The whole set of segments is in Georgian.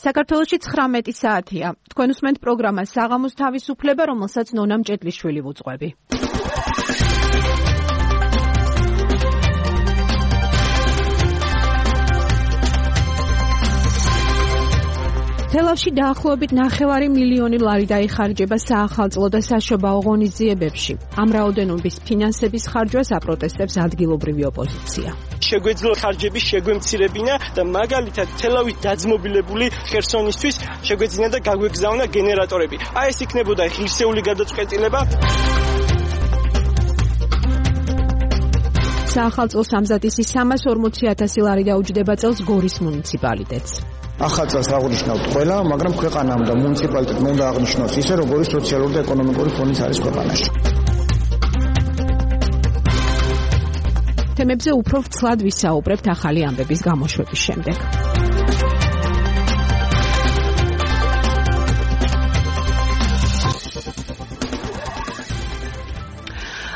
საქართველოში 19 საათია. თქვენ უსმენთ პროგრამას საღამოს თავისუფლება, რომელსაც ნონა მჭედლიშვილი ვუძღვები. თელავში დაახლოებით 9 მილიონი ლარი დაიხარჯება საახალწლო და საშობაო ღონისძიებებში. ამ რაოდენობის ფინანსების ხარჯვას აპროტესტებს ადგილობრივი ოპოზიცია. შეგვეძლო ხარჯების შეგვემცირებინა და მაგალითად თელავით დაძმობილებული ხერსონისთვის შეგვეძინა და გაგვეგზავნა გენერატორები. აი ეს იქნებოდა ღირსეული გადაწყვეტილება. საახალწლო სამზადისი 340,000 ლარი დაუჯდება წელს გორის მუნიციპალიტეტს. ახალ წელს აღნიშნავთ ყველა, მაგრამ ქვეყანამ და მუნიციპალიტეტმა უნდა აღნიშნოს ისე, როგორი სოციალური და ეკონომიკური ფონიც არის ქვეყანაში. თემებზე უფრო ვცლად ვისაუბრებთ ახალი ამბების გამოშვების შემდეგ.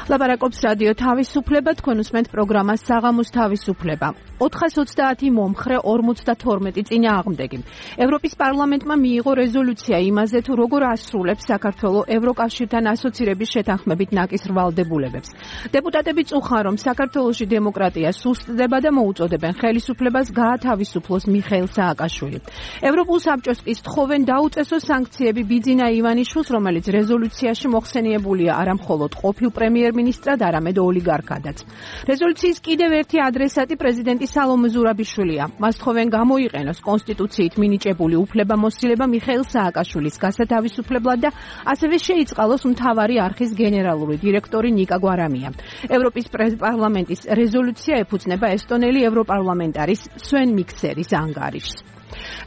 ლაპარაკობს რადიო თავისუფლება, თქვენ უსმენთ პროგრამას საღამოს თავისუფლება. 430 მომხრე 52 წინააღმდეგი. ევროპის პარლამენტმა მიიღო რეზოლუცია იმაზე, თუ როგორ ასრულებს საქართველო ევროკავშირთან ასოცირების შეთანხმებით ნაკის ვალდებულებებს. დეპუტატები წუხან, რომ საქართველოში დემოკრატია სუსტდება და მოუწოდებენ ხელისუფლებას გაათავისუფლოს მიხეილ სააკაშვილი. ევროპულ საბჭოს კი სთხოვენ დაუწესოს სანქციები ბიძინა ივანიშვილს, რომელიც რეზოლუციაში მოხსენიებულია არა მხოლოდ ყოფილ პრემიერ-მინისტრად, არამედ ოლიგარქადაც. რეზოლუციის კიდევ ერთი ადრესატი პრეზიდენტი სალომე ზურაბიშვილია. მას თხოვენ გამოიყენოს კონსტიტუციით მინიჭებული უფლებამოსილება მიხეილ სააკაშვილის გასათავისუფლებლად და ასევე შეიწყალოს მთავარი არხის გენერალური დირექტორი ნიკა გვარამია. ევროპის პარლამენტის რეზოლუცია ეფუძნება ესტონელი ევროპარლამენტარის სვენ მიქსერის ანგარიშს.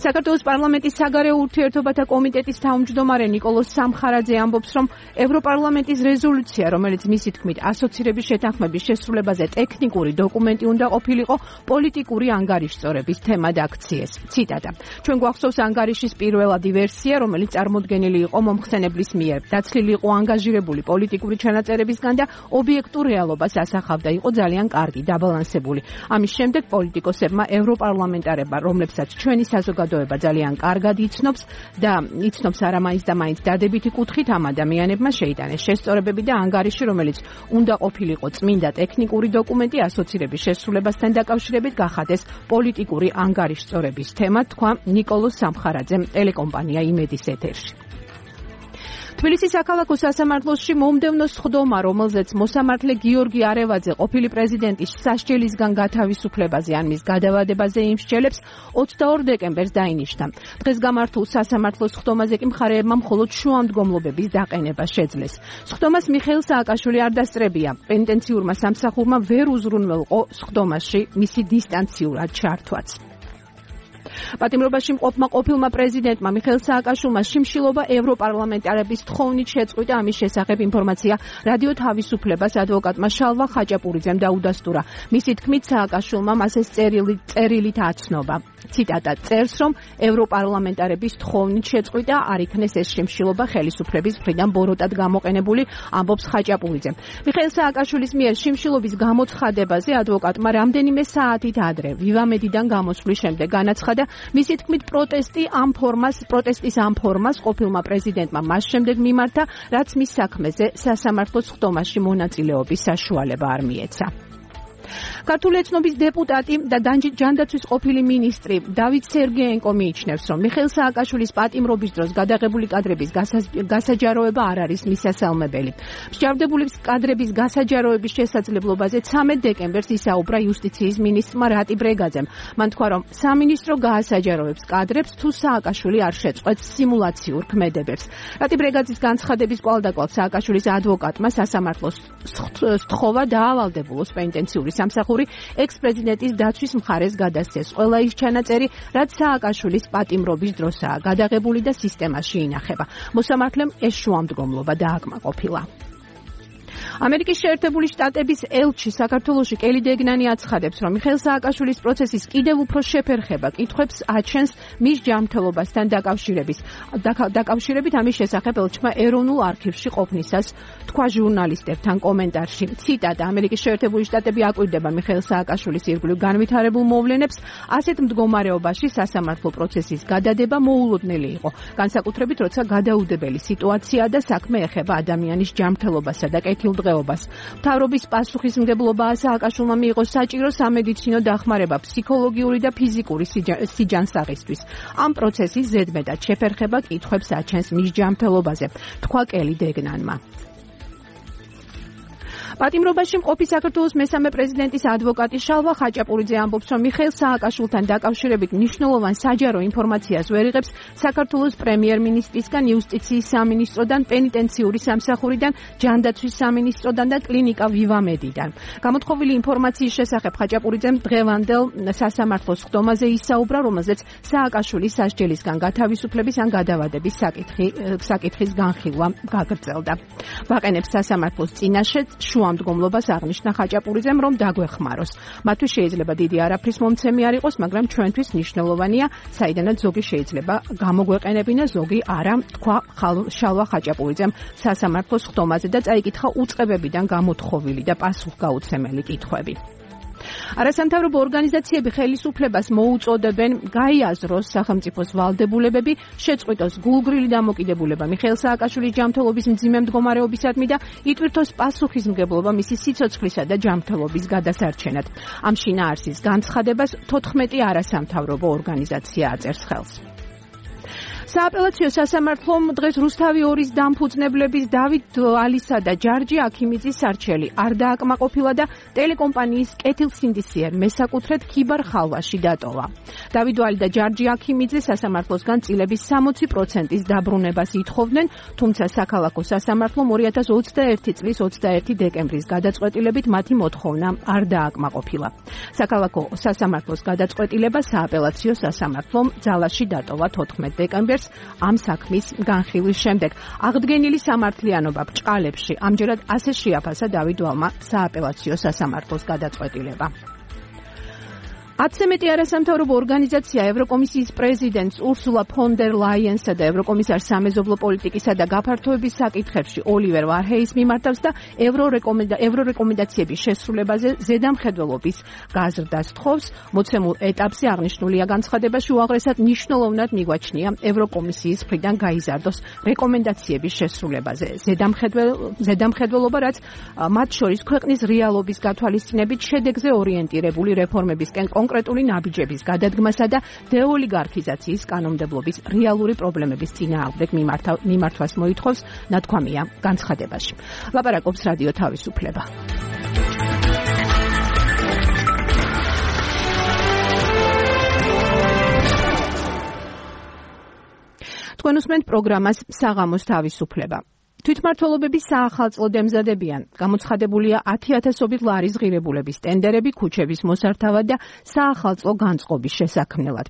საქართველოს პარლამენტის საგარეო ურთიერთობათა კომიტეტის თავმჯდომარე ნიკოლოზ სამხარაძე ამბობს, რომ ევროპარლამენტის რეზოლუცია, რომელიც მისი თქმით ასოცირების შეთანხმების შესრულებაზე ტექნიკური დოკუმენტი უნდა ყოფილიყო, პოლიტიკური ანგარიშწორების თემად აქციეს. ციტატა: ჩვენ გვახსოვს ანგარიშის პირველადი ვერსია, რომელიც წარმოდგენილი იყო მომხსენებლის მიერ. დაცლილი იყო ანგაჟირებული პოლიტიკური ჩანაწერებისგან და ობიექტურ რეალობას ასახავდა, იყო ძალიან კარგი, დაბალანსებული. ამის შემდეგ პოლიტიკოსებმა ევროპარლამენტარებმა, რომლებსაც ჩვენი საზოგადოება ძალიან კარგად იცნობს და იცნობს არამაინც და მაინც დადებითი კუთხით, ამ ადამიანებმა შეიტანეს შესწორებები და ანგარიში, რომელიც უნდა ყოფილიყო წმინდა ტექნიკური დოკუმენტი ასოცირების შესრულებასთან დაკავშირებით, გახადეს პოლიტიკური ანგარიშწორების თემა, თქვა ნიკოლოზ სამხარაძემ ტელეკომპანია იმედის ეთერში. თბილისის საქალაქო სასამართლოში მომდევნო სხდომა, რომელზეც მოსამართლე გიორგი არევაძე ყოფილი პრეზიდენტის სასჯელისგან გათავისუფლებაზე ან მის გადავადებაზე იმსჯელებს, 22 დეკემბერს დაინიშნა. დღეს გამართულ სასამართლოს სხდომაზე კი მხარეებმა მხოლოდ შუამდგომლობების დაყენება შეძლეს. სხდომას მიხეილ სააკაშვილი არ დასწრებია. პენიტენციურმა სამსახურმა ვერ უზრუნველყო სხდომაში მისი დისტანციურად ჩართვაც. პატიმრობაში მყოფმა ყოფილმა პრეზიდენტმა მიხეილ სააკაშვილმა შიმშილობა ევროპარლამენტარების თხოვნით შეწყვიტა. ამის შესახებ ინფორმაცია რადიო თავისუფლებას ადვოკატმა შალვა ხაჭაპურიძემ დაუდასტურა. მისი თქმით, სააკაშვილმა მას ეს წერილით აცნობა. ციტატა: წერს, რომ ევროპარლამენტარების თხოვნით შეწყვიტა, არ იქნეს ეს შიმშილობა ხელისუფლების მხრიდან ბოროტად გამოყენებული, ამბობს ხაჭაპურიძე. მიხეილ სააკაშვილის მიერ შიმშილობის გამოცხადებაზე ადვოკატმა რამდენიმე საათით ადრე ვივამედიდან გამოსვლის შემდეგ განაცხადა, მისი თქმით, პროტესტის ამ ფორმას ყოფილმა პრეზიდენტმა მას შემდეგ მიმართა, რაც მის საქმეზე სასამართლოს სხდომაში მონაწილეობის საშუალება არ მიეცა. ქართული ეთნობის დეპუტატი და ჯანდაცვის ყოფილი მინისტრი დავით სერგეენკო მიიჩნევს, რომ მიხეილ სააკაშვილის პატიმრობის დროს გადაღებული კადრების გასაჯაროება არ არის მისასალმებელი. მსჯავრდებული კადრების გასაჯაროების შესაძლებლობაზე 13 დეკემბერს ისაუბრა იუსტიციის მინისტრმა რატი ბრეგაძემ. მან თქვა, რომ სამინისტრო გაასაჯაროებს კადრებს, თუ სააკაშვილი არ შეწყვეტს სიმულაციურ ქმედებებს. რატი ბრეგაძის განცხადების კვალდაკვალ სააკაშვილის ადვოკატმა სასამართლოს სთხოვა დაავალდებულოს პენიტენციური სამსახური ექს-პრეზიდენტის დაცვის მხარეს გადასცეს ყველა ის ჩანაწერი, რაც სააკაშვილის პატიმრობის დროსაა გადაღებული და სისტემაში ინახება. მოსამართლემ ეს შუამდგომლობა დააკმაყოფილა. ამერიკის შეერთებული შტატების ელჩი საქართველოში კელი დეგნანი აცხადებს, რომ მიხეილ სააკაშვილის პროცესის კიდევ უფრო შეფერხება კითხვებს აჩენს მის ჯანმრთელობასთან დაკავშირებით ამის შესახებ ელჩმა ეროვნულ არქივში ყოფნისას თქვა ჟურნალისტებთან კომენტარში. ციტატა: ამერიკის შეერთებული შტატები აკვირდება მიხეილ სააკაშვილის ირგვლივ განვითარებულ მოვლენებს, ასეთ მდგომარეობაში სასამართლო პროცესის გადადება მოულოდნელი იყო, განსაკუთრებით როცა გადაუდებელი სიტუაცია და საქმე ეხება ადამიანის ჯანმრთელობასა და კეთილდღეობას. მთავრობის პასუხისმგებლობაა სააკაშვილმა მიიღო საჭირო სამედიცინო დახმარება ფსიქოლოგიური და ფიზიკური სიჯანსაღისთვის. ამ პროცესის ზედმეტად შეფერხება კითხვებს აჩენს მის ჯანმრთელობაზე, თქვა კელი დეგნანმა. პატიმრობაში მყოფი საქართველოს მესამე პრეზიდენტის ადვოკატი შალვა ხაჭაპურიძე ამბობს, რომ მიხეილ სააკაშვილთან დაკავშირებით მნიშვნელოვან საჯარო ინფორმაციას ვერ იღებს საქართველოს პრემიერ-მინისტრისგან, იუსტიციის სამინისტროდან, პენიტენციური სამსახურიდან, ჯანდაცვის სამინისტროდან და კლინიკა ვივამედიდან. გამოთხოვილი ინფორმაციის შესახებ ხაჭაპურიძემ დღევანდელ სასამართლოს ხდომაზე ისაუბრა, რომელზეც სააკაშვილის სასჯელისგან გათავისუფლების ან გადავადების საკითხის განხილვა გაგრძელდა. ვაყენებს სასამართლოს წინაშე მდგომლობას აღნიშნა ხაჭაპურიძემ, რომ დაგვეხმაროს. მათთვის შეიძლება დიდი არაფრის მომცემი არ იყოს, მაგრამ ჩვენთვის მნიშვნელოვანია, საიდანაც ზოგი შეიძლება გამოგვეყენებინა, ზოგი არა, თქვა შალვა ხაჭაპურიძემ სასამართლოს ხდომაზე და წაიკითხა უწყებებიდან გამოთხოვილი და პასუხგაუცემელი კითხვები. არასამთავრობო ორგანიზაციები ხელისუფლებას მოუწოდებენ გაიაზროს სახელმწიფოს ვალდებულებები, შეწყვიტოს გულგრილი დამოკიდებულება მიხეილ სააკაშვილის ჯანმრთელობის მძიმე მდგომარეობისადმი და იტვირთოს პასუხისმგებლობა მისი სიცოცხლისა და ჯანმრთელობის გადასარჩენად. ამ შინაარსის განცხადებას 14 არასამთავრობო ორგანიზაცია აწერს ხელს. სააპელაციო სასამართლომ დღეს რუსთავი 2-ის დამფუძნებლების დავით ალისა და ჯარჯი აქიმიძის სარჩელი არ დააკმაყოფილა და ტელეკომპანიის კეთილსინდისიერ მესაკუთრედ ქიბარ ხალვაში დატოვა. დავით ალი და ჯარჯი აქიმიძე სასამართლოსგან წილების 60%-ის დაბრუნებას ითხოვდნენ, თუმცა საქალაქო სასამართლომ 2021 წლის 21 დეკემბრის გადაწყვეტილებით მათი მოთხოვნა არ დააკმაყოფილა. საქალაქო სასამართლოს გადაწყვეტილება სააპელაციო სასამართლომ ძალაში დატოვა 14 დეკემბერს ამ საქმის განხილვის შემდეგ. აღდგენილი სამართლიანობა ბრჭყალებში ამჯერად ასე შეაფასა დავით ვალმა სააპელაციო სასამართლოს გადაწყვეტილება. 10-ზე მეტი არასამთავრობო ორგანიზაცია ევროკომისიის პრეზიდენტს ურსულა ფონ დერ ლაიენსა და ევროკომისარს სამეზობლო პოლიტიკისა და გაფართოების საკითხებში ოლივერ ვარჰეის მიმართავს და ევრორეკომენდაციების შესრულებაზე ზედამხედველობის გაზრდას თხოვს. მოცემულ ეტაპზე აღნიშნულია განცხადებაში უაღრესად მნიშვნელოვნად მიგვაჩნია ევროკომისიის მხრიდან გაიზარდოს რეკომენდაციების შესრულებაზე ზედამხედველობა, რაც მათ შორის ქვეყნის რეალობის გათვალისწინებით შედეგზე ორიენტირებული რეფორმებისკენ კონკრეტული ნაბიჯების გადადგმასა და დეოლიგარქიზაციის კანონმდებლობის რეალური პრობლემების წინააღმდეგ მიმართვას მოითხოვს, ნათქვამია განცხადებაში. ლაპარაკობს რადიო თავისუფლება. თქვენ უსმენთ პროგრამას საღამოს თავისუფლება. თვითმმართველობების საახალწლო დემზადებიან. გამოცხადებულია 10,000-ობით ლარის ღირებულების ტენდერები ქუჩების მოსართავად და საახალწლო განწყობის შესაქმნელად.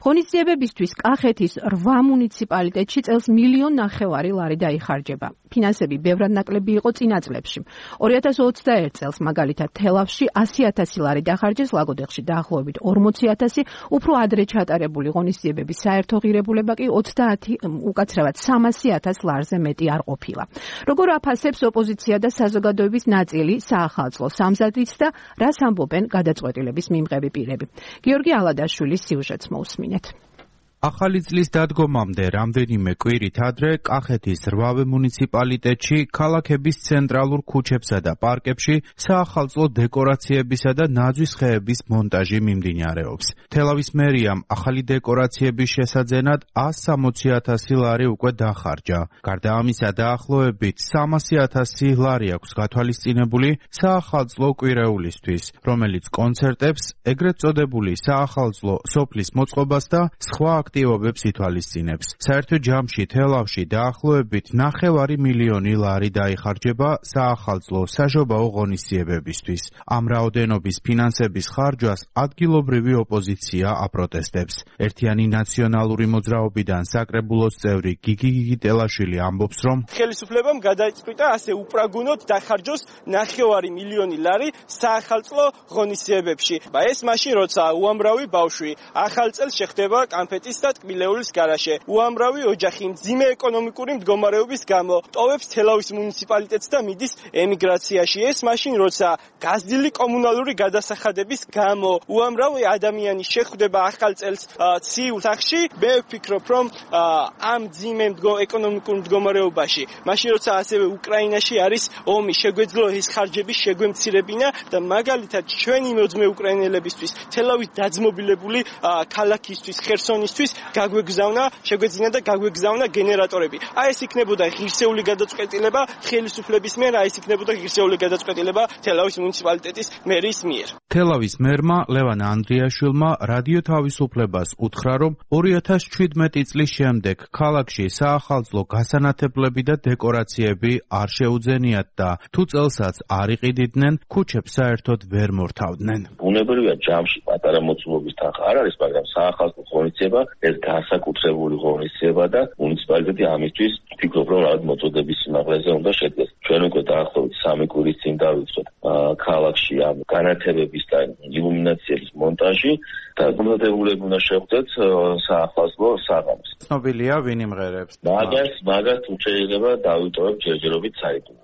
ღონისძიებებისთვის კახეთის 8 მუნიციპალიტეტში წელს 1,5 მილიონი ლარი დაიხარჯება. ფინანსები ბევრად ნაკლები იყო წინა წლებში. 2021 წელს მაგალითად თელავში 100,000 ლარი დახარჯეს, ლაგოდეხში დაახლოებით 40,000, უფრო ადრე ჩატარებული ღონისძიებების საერთო ღირებულება კი 300,000 ლარზე მეტი არ ყოფილა. როგორ აფასებს ოპოზიცია და საზოგადოების ნაწილი საახალწლო სამზადისს და რას ამბობენ გადაწყვეტილების მიმღები პირები. გიორგი ალადაშვილის სიუჟეტს მოусმინეთ. ახალი წლის დადგომამდე რამდენიმე კვირით ადრე კახეთის 8 მუნიციპალიტეტში ქალაქების ცენტრალურ ქუჩებსა და პარკებში საახალწლო დეკორაციებისა და ნაძვის ხეების მონტაჟი მიმდინარეობს. თელავის მერიამ ახალი დეკორაციების შესაძენად 160,000 ლარი უკვე დახარჯა. გარდა ამისა დაახლოებით 300,000 ლარი აქვს გათვალისწინებული საახალწლო კვირეულისთვის, რომელიც კონცერტებს, ეგრეთ წოდებული საახალწლო სოფლის მოწყობას და სხვა აქტივობებს ითვალისწინებს. საერთო ჯამში თელავში დაახლოებით 9 მილიონი ლარი დაიხარჯება საახალწლო საშობაო ღონისძიებებისთვის. ამ რაოდენობის ფინანსების ხარჯვას ადგილობრივი ოპოზიცია აპროტესტებს. ერთიანი ნაციონალური მოძრაობიდან საკრებულოს წევრი გიგი გიგიტელაშვილი ამბობს, რომ ხელისუფლებამ გადაიწყვიტა ასე უპრაგუნოდ დახარჯოს 9 მილიონი ლარი საახალწლო ღონისძიებებში. ეს მაშინ როცა უამრავი ბავშვი ახალ წელს შეხდება კანფეტის და ტკბილეულის გარაშე. უამრავი ოჯახი მძიმე ეკონომიკური მდგომარეობის გამო ტოვებს თელავის მუნიციპალიტეტს და მიდის ემიგრაციაში. ეს მაშინ როცა გაზრდილი კომუნალური გადასახადების გამო უამრავი ადამიანი შეხვდება ახალ წელს ციურ სახლში. მე ვფიქრობ, რომ ამ მძიმე ეკონომიკურ მდგომარეობაში, მაშინ როცა ასევე უკრაინაში არის ომი, შეგვეძლო ეს ხარჯები შეგვემცირებინა და მაგალითად ჩვენი მოძმე უკრაინელებისთვის თელავის დაძმობილებული ქალაქისთვის, ხერსონისთვის შეგვეძინა და გაგვეგზავნა გენერატორები. ეს იქნებოდა ღირსეული გადაწყვეტილება ხელისუფლების მიერ, ეს იქნებოდა ღირსეული გადაწყვეტილება თელავის მუნიციპალიტეტის მერის მიერ. თელავის მერმა ლევან ანდრიაშვილმა რადიო თავისუფლებას უთხრა, რომ 2017 წლის შემდეგ ქალაქში საახალწლო გასანათებლები და დეკორაციები არ შეუძენიათ და თუ წელსაც არ იყიდნენ, ქუჩებს საერთოდ ვერ მორთავდნენ. ბუნებრივია ჯამში პატარა მოცულობის თანხა არ არის, მაგრამ საახალწლო ღონისძიება ეს განსაკუთრებული ღონისძიება და მუნიციპალიტეტი ამისთვის ვფიქრობ, რომ რაღაც მოწოდების სიმაღლეზე უნდა შედგეს. ჩვენ უკვე დაახლოებით 3 კვირის წინ დავიწყოთ ქალაქში ამ განათებების და ილუმინაციების მონტაჟი და გუმბათებულები უნდა შეხვდეთ საახალწლო საღამოს. ცნობილია ვინ იმღერებს? მაგას თუ შეიძლება დავიტოვებ ჯერჯერობით საიდუმლოდ.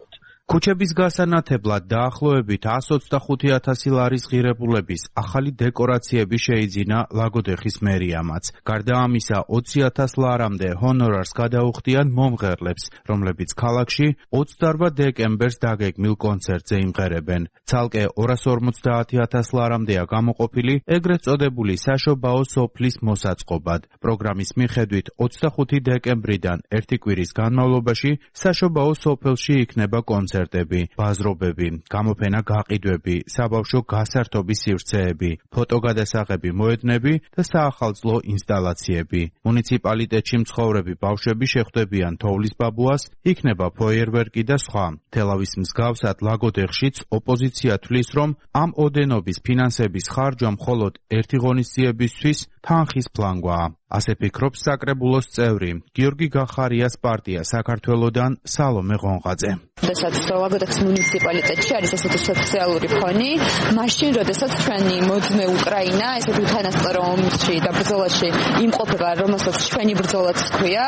ქუჩების გასანათებლად დაახლოებით 125,000 ლარის ღირებულების ახალი დეკორაციები შეიძინა ლაგოდეხის მერიამაც. გარდა ამისა, 20,000 ლარამდე ჰონორარს გადაუხდიან მომღერლებს, რომლებიც ქალაქში 28 დეკემბერს დაგეგმილ კონცერტზე იმღერებენ. ცალკე 250,000 ლარამდეა გამოყოფილი ეგრეთ წოდებული საშობაო სოფლის მოსაწყობად. პროგრამის მიხედვით 25 დეკემბრიდან ერთი კვირის განმავლობაში საშობაო სოფელში იქნება კონცერტი, ბაზრობები, გამოფენა გაყიდვები, საბავშვო გასართობის სივრცეები, ფოტოგადასაღები მოედნები და საახალწლო ინსტალაციები. მუნიციპალიტეტში მცხოვრები ბავშვები შეხვდებიან თოვლის ბაბუას, იქნება ფოიერვერკი და სხვა. თელავის მსგავსად ლაგოდეხშიც ოპოზიცია თვლის, რომ ამ ოდენობის ფინანსების ხარჯვა მხოლოდ ერთი ღონისძიებისთვის თანხის ფლანგვაა. ასე ფიქრობს საკრებულოს წევრი, გიორგი გახარიას პარტია საქართველოდან სალომე ღონღაძე. როდესაც ლაგოდეხის მუნიციპალიტეტში არის ესეთი სოციალური ფონი, მაშინ როდესაც ჩვენი მოძმე უკრაინა ესეთ უთანასწორო ომში და ბრძოლაში იმყოფება, რომელსაც ჩვენი ბრძოლაც ჰქვია,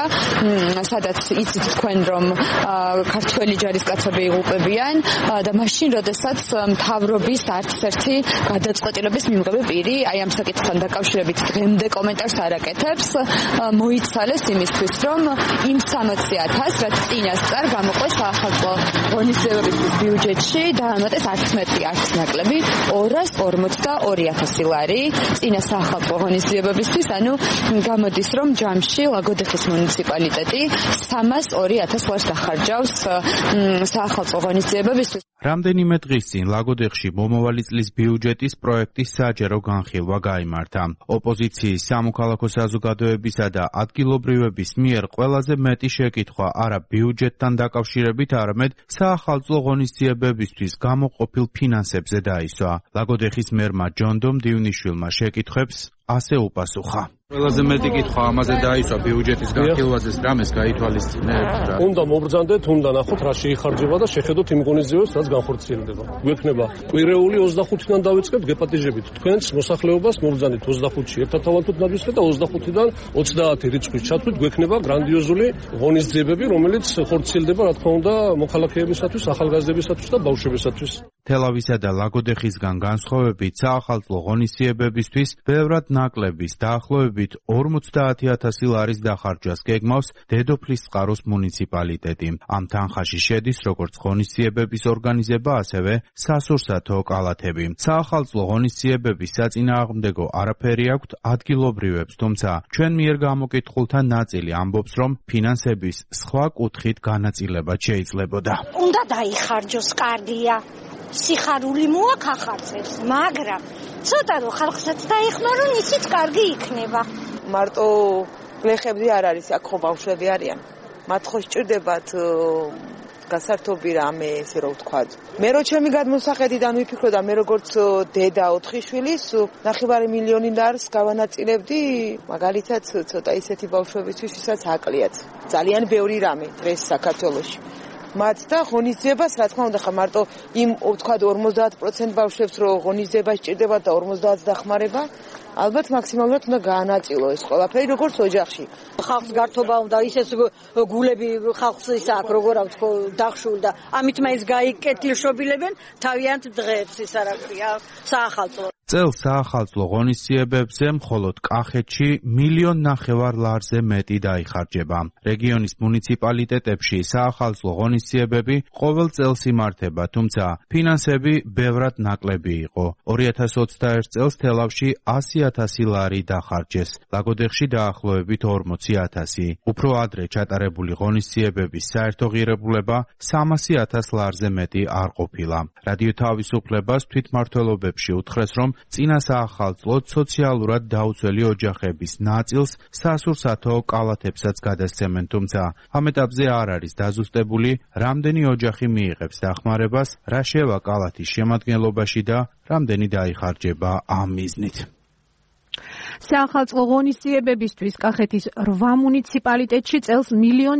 სადაც იცით თქვენ, რომ ქართველი ჯარისკაცები იღუპებიან და მაშინ როდესაც მთავრობის არც ერთი გადაწყვეტილების მიღები პირი აი ამ საკითხთან დაკავშირებით დღემდე კომენტარს არ აკეთებს, მოიცალეს იმისთვის, რომ იმ 60,000, რაც წინასწარ გამოყვეს საახალწლო ღონისძიებების ბიუჯეტში დაამატეს არც მეტი, არც ნაკლები 242,000 ლარი წინა საახალწლო ღონისძიებებისთვის, ანუ გამოდის, რომ ჯამში ლაგოდეხის მუნიციპალიტეტი 302,000 ლარს დახარჯავს საახალწლო ღონისძიებებისთვის. რამდენიმე დღის წინ ლაგოდეხში მომავალი წლის ბიუჯეტის პროექტის საჯარო განხილვა გაიმართა. ოპოზიციის სამოქალაქო საზოგადოებისა და ადგილობრივების მიერ ყველაზე მეტი შეკითხვა არა ბიუჯეტთან დაკავშირებით, არამედ საახალწლო ღონისძიებებისთვის გამოყოფილ ფინანსებზე დაისვა. ლაგოდეხის მერმა ჯონდომ დივნიშვილმა შეკითხვებს ასე უპასუხა. ყველაზე მეტი კითხვა ამაზე დაისვა ბიუჯეტის განხილვაზე, რამეს გაითვალისწინებთ? უნდა მობრძანდეთ, უნდა ნახოთ რა შეიხარჯება და შეხედოთ იმ ღონისძიებებს, რაც განხორციელდება. გვექნება კვირეული 25-დან დავიწყებთ გეპატიჟებით. თქვენს მოსახლეობას მობრძანდით 25-ში ერთად თავალთოთ ნაბისხეთ და 25-დან 30 რიცხვის ჩათვლით გვექნება გრანდიოზული ღონისძიებები, რომელიც ხორციელდება, რა თქმა უნდა, მოქალაქეებისათვის, ახალგაზრდებისათვის და ბავშვებისათვის. თელავისა და ლაგოდეხისგან განსხვავებით საახალწლო ღონისძიებებისთვის ბევრად ნაკლების დაახლოებით 50,000 ლარის დახარჯვას გეგმავს დედოფლისწყაროს მუნიციპალიტეტი. ამ თანხაში შედის როგორც ღონისძიებების ორგანიზება, ასევე სასურსათო კალათები. საახალწლო ღონისძიებების საწინააღმდეგო არაფერი აქვთ ადგილობრივებს, თუმცა ჩვენ მიერ გამოკითხულთა ნაწილი ამბობს, რომ ფინანსების სხვა კუთხით განაწილება შეიძლებოდა. უნდა დაიხარჯოს, კარგია. სიხარული მოახახარწევს, მაგრამ ცოტა რომ ხალხსაც დაეხმარონ, ისიც კარგი იქნება. მარტო გლეხები არ არის, აქ ხო ბავშვები არიან. მათ ხო სჭირდებათ გასართობი რამე, ესე რომ ვთქვათ. მე რო ჩემი გადმოსახედიდან ვიფიქრე და მე როგორც დედა 4 შვილის 9 მილიონი ლარს გავანაწილებდი, მაგალითად ცოტა ისეთი ბავშვებისთვის, ვისაც აკლიათ. ძალიან ბევრი რამე დღეს საქართველოში. მათ და ღონისძიებას, რა თქმა უნდა, ხა მარტო იმ ვთქვათ 50% ბავშვებს რო ღონისძიება სჭირდება და 50-ს დახმარება, ალბათ მაქსიმალურად უნდა გაანაწილო ეს ყველაფერი როგორც ოჯახში. ხალხს გართობა უნდა ისეთ გულები ხალხს ის აქ როგორ აქვს დახშული და ამით მაინც გაიკეთილშობილებენ თავიანთ დღეებს ის არ აქვს საახალწლო. წელს საახალწლო ღონისძიებებზე მხოლოდ კახეთში 1,5 მილიონ ლარზე მეტი დაიხარჯება. რეგიონის მუნიციპალიტეტებში საახალწლო ღონისძიებები ყოველ წელს იმართება, თუმცა ფინანსები ბევრად ნაკლები იყო. 2021 წელს თელავში 100,000 ლარი დახარჯეს, ლაგოდეხში დაახლოებით 40,000. უფრო ადრე ჩატარებული ღონისძიებების საერთო ღირებულება 300,000 ლარზე მეტი არ ყოფილა. რადიო თავისუფლებას თვითმმართველობებში უთხრეს, რომ წინა საახალწლოდ სოციალურად დაუცველი ოჯახების ნაწილს სასურსათო კალათებსაც გადასცემენ, თუმცა ამ ეტაპზე არ არის დაზუსტებული, რამდენი ოჯახი მიიღებს დახმარებას, რა შევა კალათის შემადგენლობაში და რამდენი დაიხარჯება ამ მიზნით. საახალწლო ღონისძიებებისთვის კახეთის 8 მუნიციპალიტეტში წელს 1,5 მილიონ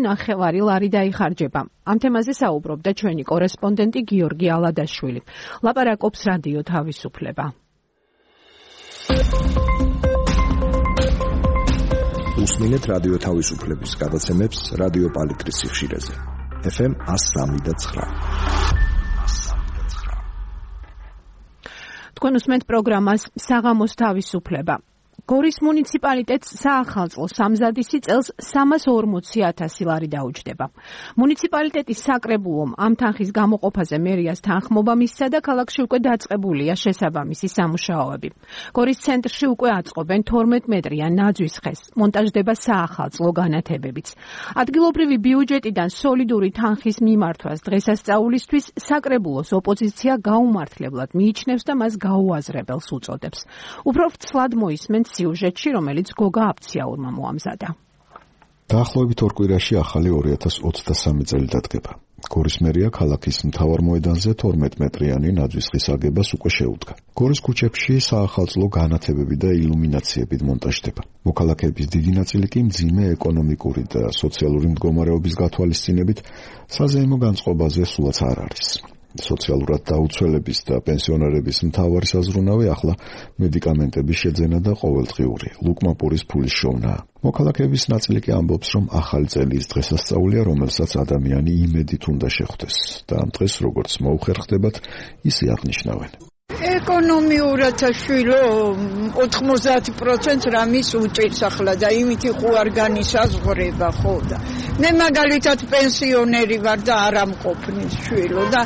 ლარი დაიხარჯება. ამ თემაზე საუბრობდა ჩვენი კორესპონდენტი გიორგი ალადაშვილი. ლაპარაკობს რადიო თავისუფლება. უსმინეთ რადიო თავისუფლების გადაცემებს რადიო პალიტრის სიხშირეზე. FM 103.9. თქვენ უსმენთ პროგრამას საღამოს თავისუფლება. გორის მუნიციპალიტეტს საახალწლო სამზადისი წელს 340,000 ლარი დაუჯდება. მუნიციპალიტეტის საკრებულომ ამ თანხის გამოყოფაზე მერიას თანხმობა მისცა და ქალაქში უკვე დაწყებულია შესაბამისი სამუშაოები. გორის ცენტრში უკვე აწყობენ 12 მეტრიან ნაძვის ხეს, მონტაჟდება საახალწლო განათებებიც. ადგილობრივი ბიუჯეტიდან სოლიდური თანხის მიმართვას დღესასწაულისთვის საკრებულოს ოპოზიცია გაუმართლებლად მიიჩნევს და მას გაუაზრებელს უწოდებს. უფრო ვცლად მოისმენთ სიუჟეტში, რომელიც გოგა აფციაურმა მოამზადა. დაახლოებით 2 კვირაში ახალი 2023 წელი დადგება. გორის მერია ქალაქის მთავარ მოედანზე 12 მეტრიანი ნაძვის ხის აგებას უკვე შეუდგა. გორის ქუჩებში საახალწლო განათებები და ილუმინაციებით მონტაჟდება. მოქალაქეების დიდი ნაწილი კი მძიმე ეკონომიკური და სოციალური მდგომარეობის გათვალისწინებით საზეიმო განწყობაზე სულაც არ არის. სოციალურად დაუცველების და პენსიონერების მთავარი საზრუნავი ახლა მედიკამენტების შეძენა და ყოველდღიური ლუკმაპურის ფულის შოვნაა. მოქალაქეების ნაწილი კი ამბობს, რომ ახალი წელიის დღესასწაულია, რომელსაც ადამიანი იმედით უნდა შეხვდეს და ამ დღეს როგორც მოუხერხდებათ, ისე აღნიშნავენ. ეკონომიურად შვილო 90% რამის უჭირს ახლა და იმით ხო არ განისაზღვრება ხო და მე მაგალითად პენსიონერი ვარ და არ ამყოფნის შვილო და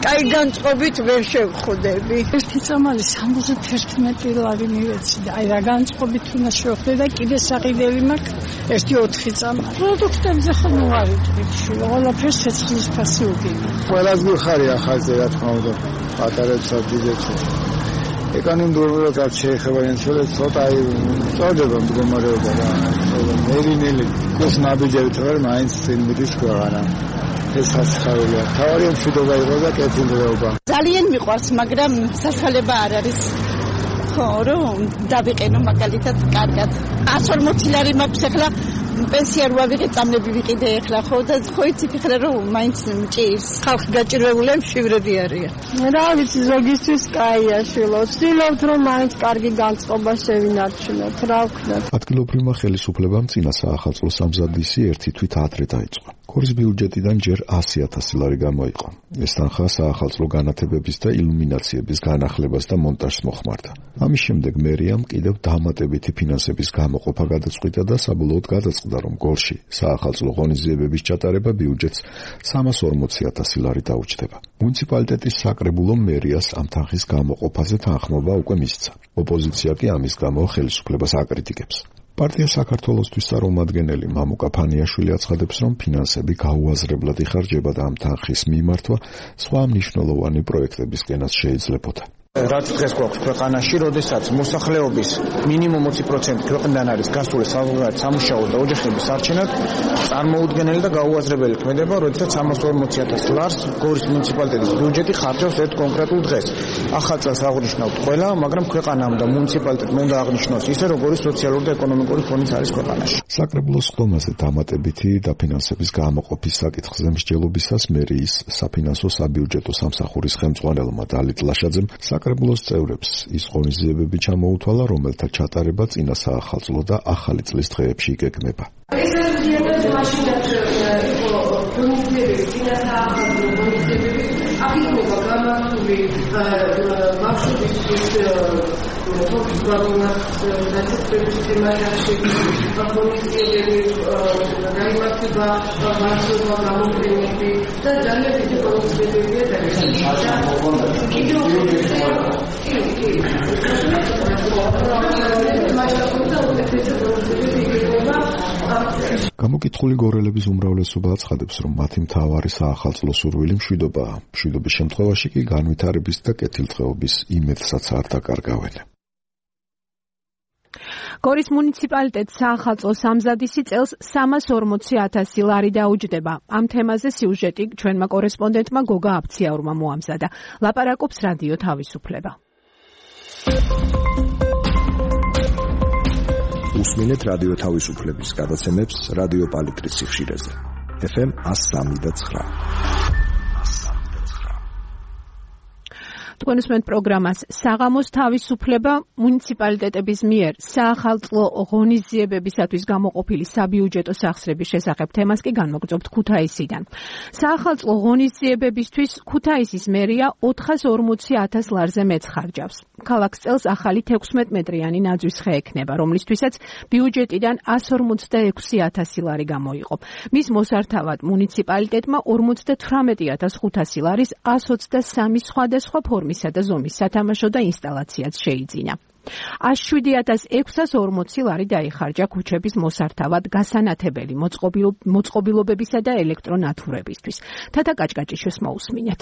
კაი განწყობით ვერ შევხვდები. ერთი წამალი 71 ლარი მივეცი და აი რა განწყობით უნდა შევხვდე და კიდე საყიდელი მაქვს ერთი 4 წამალი. პროდუქტებზე ხო მოვარიდები შვილო, ყველაფერს ცეცხლის ფასი უგინა. ყველას გიხარია ხალხზე რა თქმა უნდა, პატარებსაც დიდებს. ეკონომიკურად რაც შეეხება ინფლაცია ცოტა სწორდება მდგომარეობა და მერინელი ეს ნაბიჯებით რომ მაინც იმედის ქვეყანა ეს ასხავია თავარი მშვიდობა იყო და კეთილდღეობა ძალიან მიყვარს მაგრამ სასწავლება არ არის ხო რომ დავიყენო მაგალითად კარგად 140 ლარი მაქვს ახლა პენსია რო ავიღე წამები ვიყიდე ახლა ხო და ხო იცით ახლა რომ მაინც მჭირს ხალხი გაჭირვებული მშვიდები არიან რა ვიცი ზოგისთვის კაია შვილო ვცდილობთ რომ მაინც კარგი განწყობა შევინარჩუნოთ რა ვქნათ ადგილობრივმა ხელისუფლებამ წინა საახალწლო სამზადისი ერთი თვით ადრე დაიწყო გორის ბიუჯეტიდან ჯერ 100,000 ლარი გამოიყო ეს თანხა საახალწლო განათებების და ილუმინაციების განახლებას და მონტაჟს მოხმარდა ამის შემდეგ მერიამ კიდევ დამატებითი ფინანსების გამოყოფა გადაწყვიტა და საბოლოოდ გადაწყდა რომ გორში საახალწლო ღონისძიებების ჩატარება ბიუჯეტს 340,000 ლარი დაუჯდება. მუნიციპალიტეტის საკრებულომ მერიას ამ თანხის გამოყოფაზე თანხმობა უკვე მისცა. ოპოზიცია კი ამის გამო ხელისუფლებას აკრიტიკებს. პარტია საქართველოსთვის წარმომადგენელი მამუკა ფანიაშვილი აცხადებს, რომ ფინანსები გაუაზრებლად იხარჯება და ამ თანხის მიმართვა სხვა მნიშვნელოვანი პროექტებისკენაც შეიძლებოდა. რაც დღეს გვაქვს ქვეყანაში, როდესაც მოსახლეობის მინიმუმ 20% ქვეყნიდან არის გასული საზღვარგარეთ სამუშაოდ და ოჯახების არჩენად, წარმოუდგენელი და გაუაზრებელი ქმედება, როდესაც 340,000 ლარს გორის მუნიციპალიტეტის ბიუჯეტი ხარჯავს ერთ კონკრეტულ დღეს. ახალ წელს აღნიშნავთ ყველა, მაგრამ ქვეყანამ და მუნიციპალიტეტმა უნდა აღნიშნოს ისე, როგორი სოციალური და ეკონომიკური ფონიც არის ქვეყანაში. საკრებულოს ხდომაზე დამატებითი დაფინანსების გამოყოფის საკითხზე მსჯელობისას მერიის საფინანსო საბიუჯეტო სამსახურის ხელმძღვანელმა დალით ლაშაძემ საკრებულოს წევრებს ის ღონისძიებები ჩამოუთვალა, რომელთა ჩატარება წინა საახალწლო და ახალი წლის დღეებში იგეგმება. ეს ღონისძიებები მაშინაც იყო ღონისძიებები წინა საახალწლო ღონისძიებები აღიქმება გამართული ბავშვებისთვის თორქის ბაბონას დაწესების თემაში ღონისძიებები გაიმართება ბავშვობა გამოფენები და ძალიან დიდი ღონისძიებებია გამოკითხული გორელების უმრავლესობა აცხადებს, რომ მათი მთავარი საახალწლო სურვილი მშვიდობაა. მშვიდობის შემთხვევაში კი განვითარების და კეთილდღეობის იმედსაც არ დაკარგავენ. გორის მუნიციპალიტეტს საახალწლო სამზადისი წელს 340,000 ლარი დაუჯდება. ამ თემაზე სიუჟეტი ჩვენმა კორესპონდენტმა გოგა აფციაურმა მოამზადა. ლაპარაკობს რადიო თავისუფლება. უსმინეთ რადიო თავისუფლების გადაცემებს რადიო პალიტრის სიხშირეზე. FM 103.9. თქვენ უსმენთ პროგრამას საღამოს თავისუფლება. მუნიციპალიტეტების მიერ საახალწლო ღონისძიებებისათვის გამოყოფილი საბიუჯეტო სახსრების შესახებ თემას კი განმოგწობთ ქუთაისიდან. საახალწლო ღონისძიებებისთვის ქუთაისის მერია 440,000 ლარზე მეცხარჯავს. ქალაქს წელს ახალი 16 მეტრიანი ნაძვის ხე ექნება, რომლისთვისაც ბიუჯეტიდან 156,000 ლარი გამოიყო. მის მოსართავად მუნიციპალიტეტმა 58,500 ლარის 123 სხვადასხვა ფორმისა და ზომის სათამაშო და ინსტალაციაც შეიძინა. 107,640 ლარი დაიხარჯა ქუჩების მოსართავად გასანათებელი მოწყობილობებისა და ელექტრონათურებისთვის. თათა კაჭკაჭიშვილს მოусმინეთ.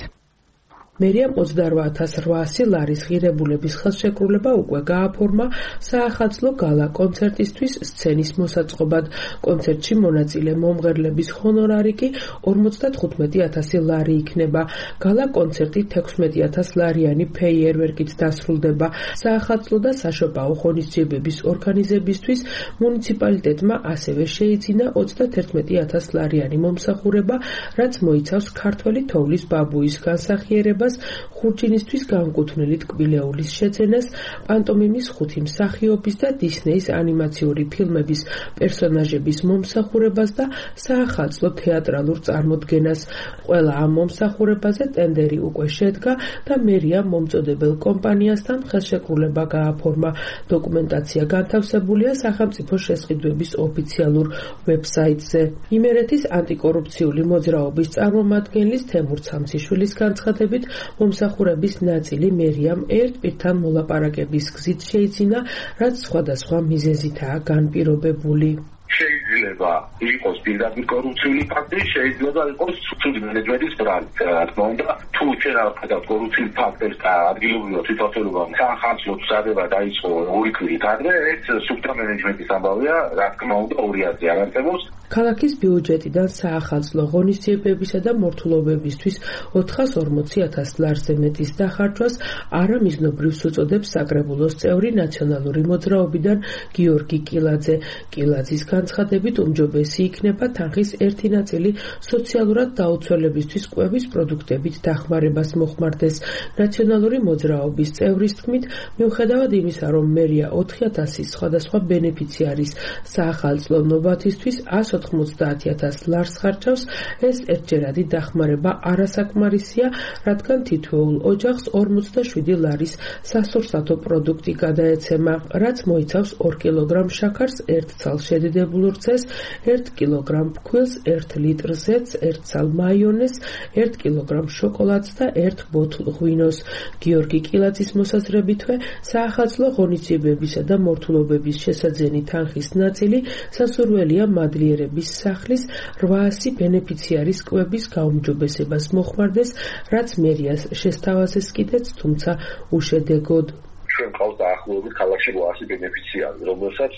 მერიამ 28,800 ლარის ღირებულების ხელშეკრულება უკვე გააფორმა საახალწლო გალა კონცერტისთვის სცენის მოსაწყობად. კონცერტში მონაწილე მომღერლების ჰონორარი კი 55,000 ლარი იქნება. გალა კონცერტი 16,000 ლარიანი ფეიერვერკით დასრულდება. საახალწლო და საშობაო ღონისძიებების ორგანიზებისთვის მუნიციპალიტეტმა ასევე შეიძინა 31,000 ლარიანი მომსახურება, რაც მოიცავს ქართველი თოვლის ბაბუის განსახიერებას, ხურჯინისთვის განკუთვნილი ტკბილეულის შეძენას, პანტომიმის ხუთი მსახიობის და დისნეის ანიმაციური ფილმების პერსონაჟების მომსახურებას და საახალწლო თეატრალურ წარმოდგენას. ყველა ამ მომსახურებაზე ტენდერი უკვე შედგა და მერია მომწოდებელ კომპანიასთან ხელშეკრულება გააფორმა. დოკუმენტაცია განთავსებულია სახელმწიფო შესყიდვების ოფიციალურ ვებსაიტზე. იმერეთის ანტიკორუფციული მოძრაობის წარმომადგენლის თემურ ცამციშვილის განცხადებით, მომსახურების ნაწილი მერიამ ერთ პირთან მოლაპარაკების გზით შეიძინა, რაც სხვადასხვა მიზეზითაა განპირობებული. შეიძლება იყოს პირდაპირ კორუფციული ფაქტი, შეიძლება იყოს ცუდი მენეჯმენტის ბრალით. რა თქმა უნდა, თუ შეიძლება კორუფციული ფაქტებს და ადგილობრივ თვითმმართველობამ საახალწლო წადება დაიწყო ორი კვირით ადრე, ეს სუფთა მენეჯმენტის ამბავია, რა თქმა უნდა, 200 არ არსებობს. ქალაქის ბიუჯეტიდან საახალწლო ღონისძიებებისა და მორთულობებისთვის 440,000 ლარზე მეტის დახარჯვას არამიზნობრივს უწოდებს საკრებულოს წევრი ნაციონალური მოძრაობიდან გიორგი კილაძე. კილაძის განცხადებით უმჯობესი იქნება თანხის ერთი ნაწილი სოციალურად დაუცველებისთვის კვების პროდუქტებით დახმარებას მოხმარდეს. ნაციონალური მოძრაობის წევრის თქმით, მიუხედავად იმისა, რომ მერია 4,000 სხვადასხვა ბენეფიციარის საახალწლო ნობათისთვის 190,000 ლარს ხარჯავს, ეს ერთჯერადი დახმარება არასაკმარისია, რადგან თითოეულ ოჯახს 47 ლარის სასურსათო პროდუქტი გადაეცემა, რაც მოიცავს 2 კილოგრამ შაქარს, 1 ცალ შედიდებულ დამზადებულ რძეს, 1 კილოგრამ ფქვილს, 1 ლიტრ ზეთს, 1 ცალ მაიონეზს, 1 კილოგრამ შოკოლადს და 1 ბოთლ ღვინოს. გიორგი კილაძის მოსაზრებითვე, საახალწლო ღონისძიებებისა და მორთულობების შესაძენი თანხის ნაწილი სასურველია მადლიერების სახლის 800 ბენეფიციარის კვების გაუმჯობესებას მოხმარდეს, რაც მერიას შესთავაზეს კიდეც, თუმცა უშედეგოდ. ჩვენ ყავს დაახლოებით ქალაქში 800 ბენეფიციარი, რომელსაც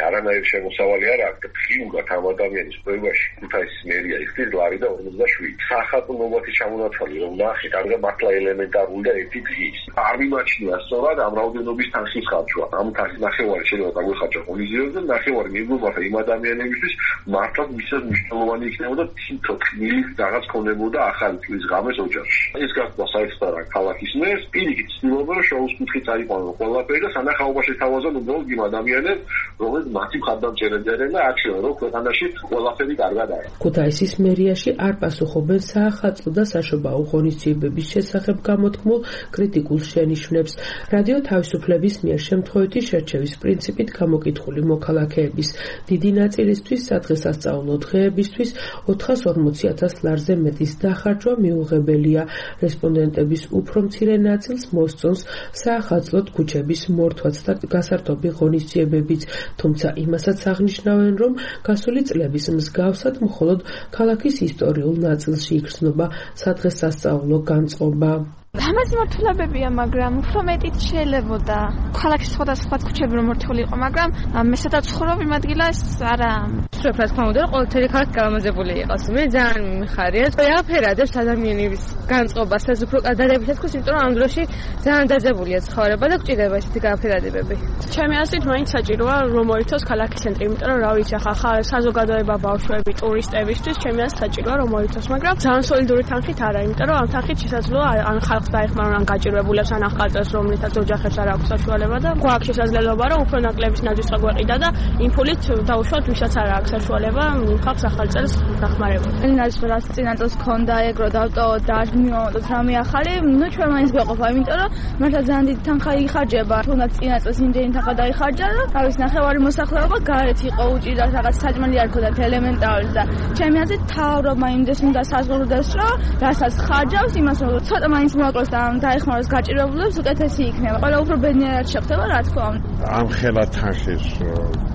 არანაირი შემოსავალი არ აქვს და ფიურად ამ ადამიანის კვებაში ქუთაისის მერია იხდის ლარი და 47. საახალწლო ნომათის ჩამონათვალი რომ ნახეთ, ამიტომ მართლა ელემენტარული და ერთი დღის. არ მიმაჩნია სწორად ამ რაოდენობის თანხის ხარჯვა. ამ თანხის ნახევარი შეიძლება დაგვეხარჯა ღონისძიებაზე, ნახევარი მიგვიყვება იმ ადამიანებისთვის, მართლაც მისად მნიშვნელოვანი იქნებოდა თითო თქმის რაღაც ქონებოდა ახალი წლის ღამეს ოჯახში. ეს გახდა საერთოდ ქალაქის მერს, პირიქით ცდილობდა რომ შოუს კუთხე წაიყვანოს ყველაფერი და სანახაობაში თავაზონ უბრალოდ იმ ადამიანებს, რომელიც მათი მხარდამჭერები არიან და აჩვენა, რომ ქვეყანაში ყველაფერი კარგად არის. ქუთაისის მერიაში არ პასუხობენ საახალწლო და საშობაო ღონისძიებების შესახებ გამოთქმულ კრიტიკულ შენიშვნებს. რადიო თავისუფლების მიერ შემთხვევითი შერჩევის პრინციპით გამოკითხული მოქალაქეების დიდი ნაწილისთვის სადღესასწაულო დღეებისთვის 440,000 ლარზე მეტის დახარჯვა მიუღებელია. რესპონდენტების უფრო მცირე ნაწილს მოსწონს საახალწლო ქუჩების მორთვაც და გასართობი ღონისძიებებიც, თუმცა იმასაც აღნიშნავენ, რომ გასული წლების მსგავსად მხოლოდ ქალაქის ისტორიულ ნაწილში იგრძნობა სადღესასწაულო განწყობა. ამას მორთულებებია, მაგრამ უფრო მეტიც შეიძლებოდა. ქალაქის სხვადასხვა ქუჩები რომ მორთული იყო, მაგრამ მე სადაც ვცხოვრობ იმ ადგილას არა. სრულიად რა თქმა უნდა, ყოველთვიერი ქალაქი გამოზებული იყოს. მე ძალიან მიმხარია. აფერადებს ადამიანების განწყობას, ეს უფრო გადადებითად თქოს, იმიტომ რომ ამ დროში ძალიან დაძაბულია ცხოვრება და გვჭირდება ესეთი გაფერადებები. ჩემი აზრით, მაინც საჭიროა რომ მოიცავს ქალაქის ცენტრი, იმიტომ რომ რა ვიცი, ახლა საზოგადოება, ბავშვები, ტურისტებისთვის ჩემი აზრით საჭიროა რომ მოიცავს, მაგრამ ძალიან სოლიდური თანხით არა, იმიტომ რომ ამ თანხით შესაძლოა ან ხალხს დაეხმარონ ან გაჭირვებულებს ან ახალწელს, რომლითაც ოჯახებს არ აქვს საშუალება და გვაქვს შესაძლებლობა რომ უფრო ნაკლების ნაძვისყა გვეყიდა და იმ ფულით დავუშვათ ვისაც არ აქვს საშუალება იმ ხალხს ახალწელს დახმარება. ენას რაც წინა წელს ქონდა ეგრო დავტოვოთ და არ მივამოდოთ რამე ახალი, ნუ ჩვენ მაინც გვეყოფა, იმიტომ რომ მართლა ძალიან დიდი თანხა იხარჯება. თუნდაც წინა წელს იმდენი თანხა დაიხარჯა და თავის ნახევარი მოსახლეობა გარეთ იყო, უჭირდა რაღაც საჭმელი არ ქონდათ ელემენტარული და ჩემი აზრით თავრობა იმდეს უნდა საზღურდეს, რომ რასაც ხარჯავს, იმას უნდა ცოტა მაინც მოაკლოს და დაეხმაროს გაჭირვებულებს, უკეთესი იქნება. ყველა უფრო ბედნიერად შეხვდება, რა თქმა უნდა. ამ ხელა თანხის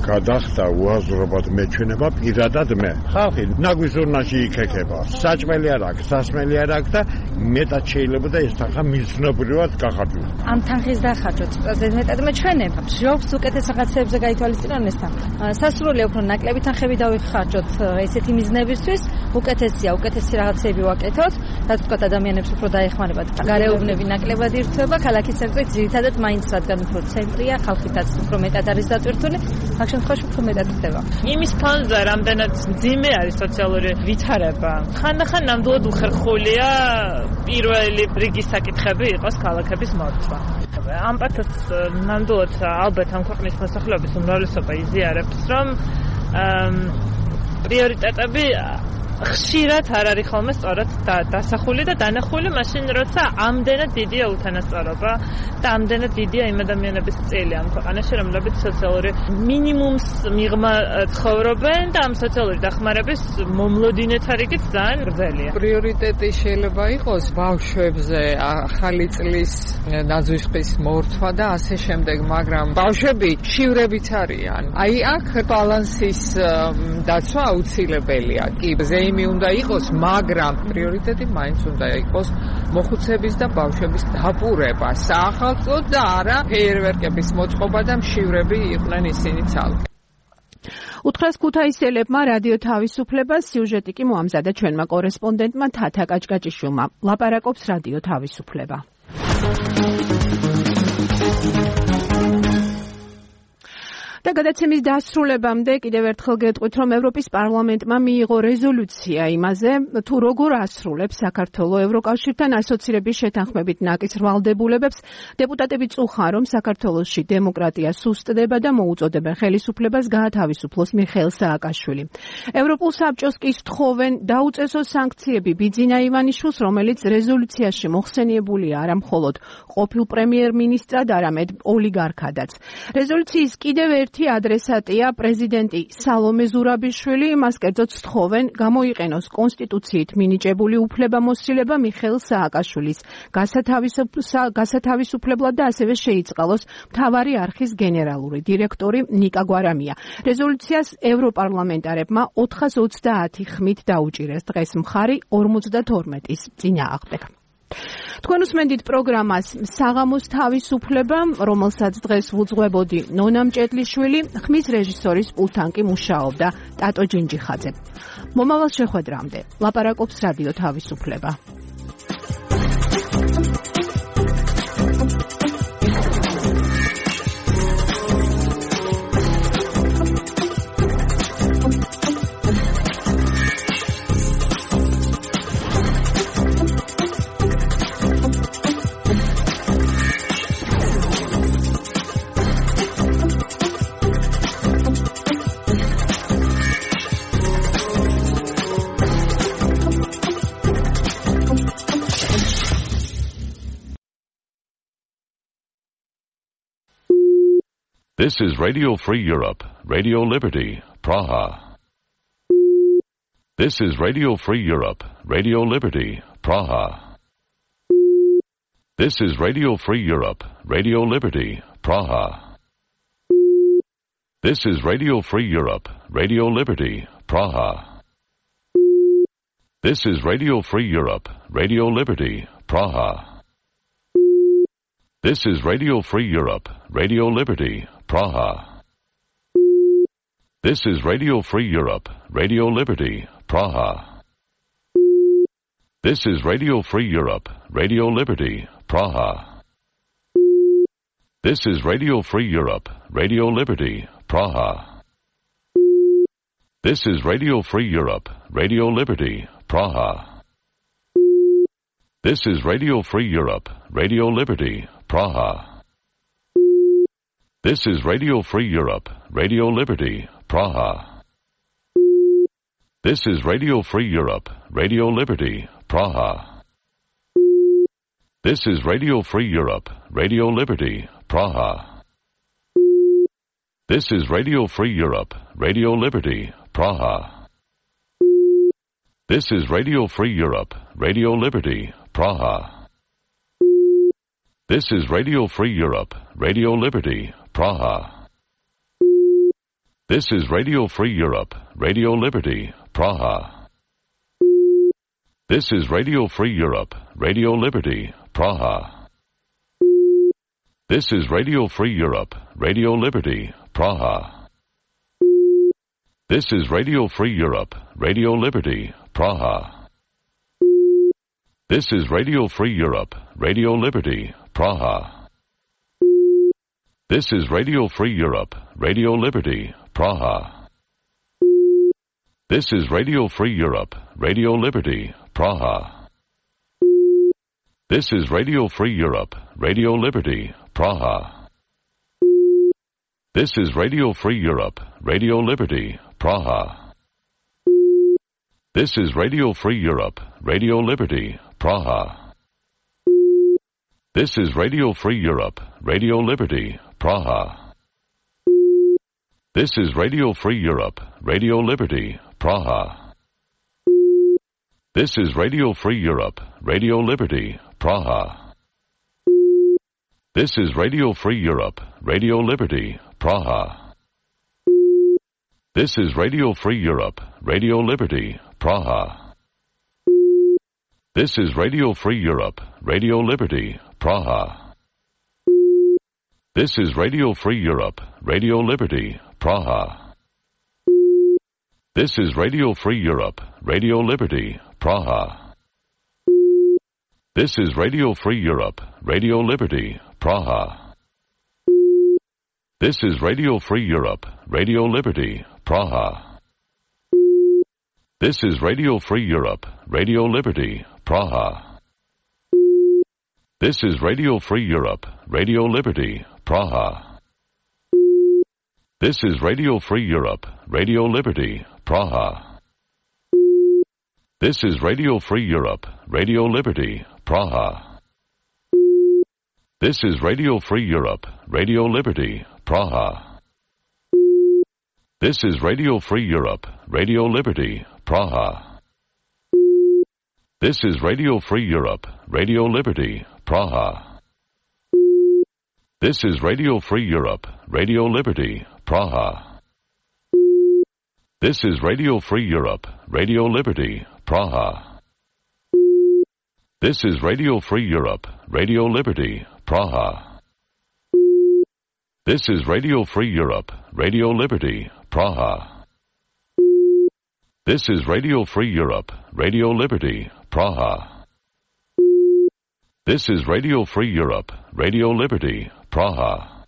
გადახდა უაზრობად მეჩვენება პირადად მე. ხალხი ნაგვის ურნაში იქექება. საჭმელი არ აქვს, სასმელი არ აქვს და მეტად შეიძლება და ეს თანხა მიზნობრივად გახარჯოს. ამ თანხის დახარჯვაც მეტად მეჩვენება. მშობს უკეთეს რაღაცებზე გაითვალისწინონ ეს თანხა. სასურველია უფრო ნაკლები თანხები დავიხარჯოთ ესეთი მიზნებისთვის, უკეთესია, უკეთესი რაღაცები ვაკეთოთ, რაც თქვა ადამიანებს უფრო დაეხმარებათ. გარეუბნები ნაკლებად ირთვება, ქალაქის ცენტრი ძირითადად მაინც რადგან უფრო ცენტრია, ხალხითაც უფრო მეტად არის დატვირთული, აქ შემთხვევაში უფრო მეტად ხდება. იმის ფონზე რამდენად მძიმე არის სოციალური ვითარება. ხანდახან ნამდვილად უხერხულია პირველი რიგის საკითხები იყოს ქალაქების მორცვა. ამ პათოს ნამდვილად ალბათ ამ ქვეყნის მოსახლეობის უმრავლესობა იზიარებს, რომ პრიორიტეტები ხშირად არ არის ხოლმე სწორად დასახული და დანახული მაშინ, როცა ამდენად დიდია უთანასწორობა და ამდენად დიდია იმ ადამიანების წილი ამ ქვეყანაში, რომლებიც სოციალური მინიმუმს მიღმა ცხოვრობენ და ამ სოციალური დახმარების მომლოდინეთა რიგიც ძალიან გრძელია. პრიორიტეტი შეიძლება იყოს ბავშვებზე ახალი წლის ნაძვისყრის მორთვა და ასე შემდეგ, მაგრამ ბავშვები შივრებით არიან. აი აქ ბალანსის დაცვა აუცილებელია. კი, ზეიმი უნდა იყოს, მაგრამ პრიორიტეტი მაინც უნდა იყოს მოხუცების და ბავშვების დაპურება, საახალწლო და არა ფეიერვერკების მოწყობა და მშივრები იყვნენ ისინი ცალკე. უთხრას ქუთაისელებმა რადიო თავისუფლებას, სიუჟეტი კი მოამზადა ჩვენმა კორესპონდენტმა თათა კაჭკაჭიშვილმა. ლაპარაკობს რადიო თავისუფლება. და გადაცემის დასრულებამდე კიდევ ერთხელ გეტყვით, რომ ევროპის პარლამენტმა მიიღო რეზოლუცია იმაზე, თუ როგორ ასრულებს საქართველოს ევროკავშირთან ასოცირების შეთანხმებით ნაკის ვალდებულებებს. დეპუტატები წუხან, რომ საქართველოში დემოკრატია სუსტდება და მოუწოდებენ ხელისუფლებას გაათავისუფლოს მიხეილ სააკაშვილი. ევროპულ საბჭოს კი სთხოვენ დაუწესოს სანქციები ბიძინა ივანიშვილს, რომელიც რეზოლუციაში მოხსენიებულია არა მხოლოდ ყოფილ პრემიერ-მინისტრად, არამედ ოლიგარქადაც. რეზოლუციის კიდევ ერთი ერთ-ერთი ადრესატია პრეზიდენტი სალომე ზურაბიშვილი, მას კერძოდ სთხოვენ გამოიყენოს კონსტიტუციით მინიჭებული უფლებამოსილება მიხეილ სააკაშვილის გასათავისუფლებლად და ასევე შეიწყალოს მთავარი არხის გენერალური დირექტორი ნიკა გვარამია. რეზოლუციას ევროპარლამენტარებმა 430 ხმით დაუჭირეს დღეს მხარი 52-ის წინააღმდეგ. თქვენ უსმენთ პროგრამას საღამოს თავისუფლება, რომელსაც დღეს ვუძღვებოდი ნონა მჭედლიშვილი, ხმის რეჟისორის პულტთან კი მუშაობდა ტატო ჯინჯიხაძე. მომავალ შეხვედრამდე ლაპარაკობს რადიო თავისუფლება. This is Radio Free Europe, Radio Liberty, Praha. This is Radio Free Europe, Radio Liberty, Praha. This is Radio Free Europe, Radio Liberty, Praha. This is Radio Free Europe, Radio Liberty, Praha. This is Radio Free Europe, Radio Liberty, Praha. This is Radio Free Europe, Radio Liberty, Praha. This is Radio Free Europe, Radio Liberty, Praha. This is Radio Free Europe, Radio Liberty, Praha. This is Radio Free Europe, Radio Liberty, Praha. This is Radio Free Europe, Radio Liberty, Praha. This is Radio Free Europe, Radio Liberty, Praha. This is Radio Free Europe, Radio Liberty, Praha. This is Radio Free Europe, Radio Liberty, Praha. This is Radio Free Europe, Radio Liberty, Praha. This is Radio Free Europe, Radio Liberty, Praha. This is Radio Free Europe, Radio Liberty, Praha. This is Radio Free Europe, Radio Liberty, Praha. This is Radio Free Europe, Radio Liberty, Praha. This is Radio Free Europe, Radio Liberty, Praha. This is Radio Free Europe, Radio Liberty, Praha. This is Radio Free Europe, Radio Liberty, Praha. This is Radio Free Europe, Radio Liberty, Praha. This is Radio Free Europe, Radio Liberty, Praha. This is Radio Free Europe, Radio Liberty, Praha. This is Radio Free Europe, Radio Liberty, Praha. This is Radio Free Europe, Radio Liberty, Praha. This is Radio Free Europe, Radio Liberty, Praha. This is Radio Free Europe, Radio Liberty, Praha. This is Radio Free Europe, Radio Liberty, Praha. This is Radio Free Europe, Radio Liberty, Praha. This is Radio Free Europe, Radio Liberty, Praha. This is Radio Free Europe, Radio Liberty, Praha. This is Radio Free Europe, Radio Liberty, Praha. This is Radio Free Europe, Radio Liberty, Praha. This is Radio Free Europe, Radio Liberty, Praha. This is Radio Free Europe, Radio Liberty, Praha. This is Radio Free Europe, Radio Liberty, Praha. This is Radio Free Europe, Radio Liberty, Praha. This is Radio Free Europe, Radio Liberty, Praha. This is Radio Free Europe, Radio Liberty, Praha. This is Radio Free Europe, Radio Liberty, Praha. This is Radio Free Europe, Radio Liberty, Praha. This is Radio Free Europe, Radio Liberty, Praha. This is Radio Free Europe, Radio Liberty, Praha. This is Radio Free Europe, Radio Liberty, Praha. This is Radio Free Europe, Radio Liberty, Praha. This is Radio Free Europe, Radio Liberty, Praha. This is Radio Free Europe, Radio Liberty, Praha. This is Radio Free Europe, Radio Liberty, Praha. This is Radio Free Europe, Radio Liberty, Praha.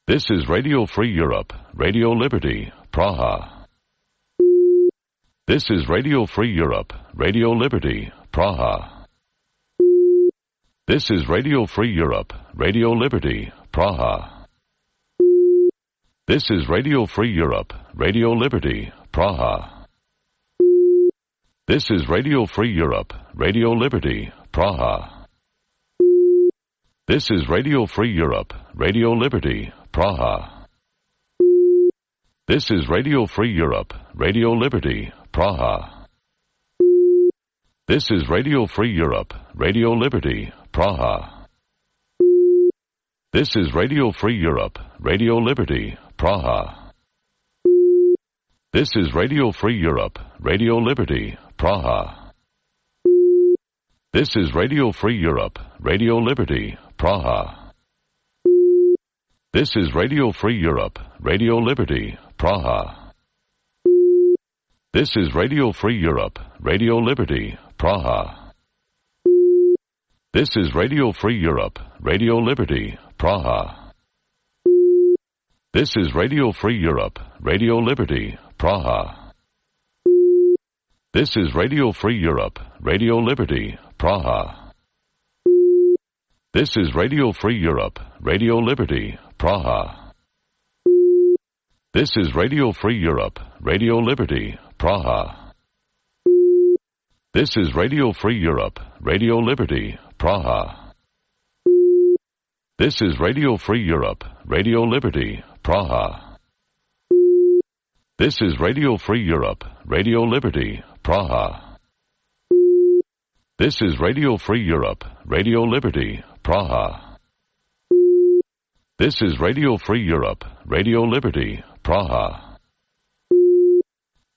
This is Radio Free Europe, Radio Liberty, Praha. This is Radio Free Europe, Radio Liberty, Praha. This is Radio Free Europe, Radio Liberty, Praha. This is Radio Free Europe, Radio Liberty, Praha. This is Radio Free Europe, Radio Liberty, Praha. This is Radio Free Europe, Radio Liberty, Praha. This is Radio Free Europe, Radio Liberty, Praha. This is Radio Free Europe, Radio Liberty, Praha. This is Radio Free Europe, Radio Liberty, Praha. This is Radio Free Europe, Radio Liberty, Praha. This is Radio Free Europe, Radio Liberty, Praha. This is Radio Free Europe, Radio Liberty, Praha. This is Radio Free Europe, Radio Liberty, Praha. This is Radio Free Europe, Radio Liberty, Praha. This is Radio Free Europe, Radio Liberty, Praha. This is Radio Free Europe, Radio Liberty, Praha. This is Radio Free Europe, Radio Liberty, Praha. This is Radio Free Europe, Radio Liberty, Praha. This is Radio Free Europe, Radio Liberty, Praha. This is Radio Free Europe, Radio Liberty, Praha. This is Radio Free Europe, Radio Liberty, Praha. This is Radio Free Europe, Radio Liberty, Praha. This is Radio Free Europe, Radio Liberty, Praha.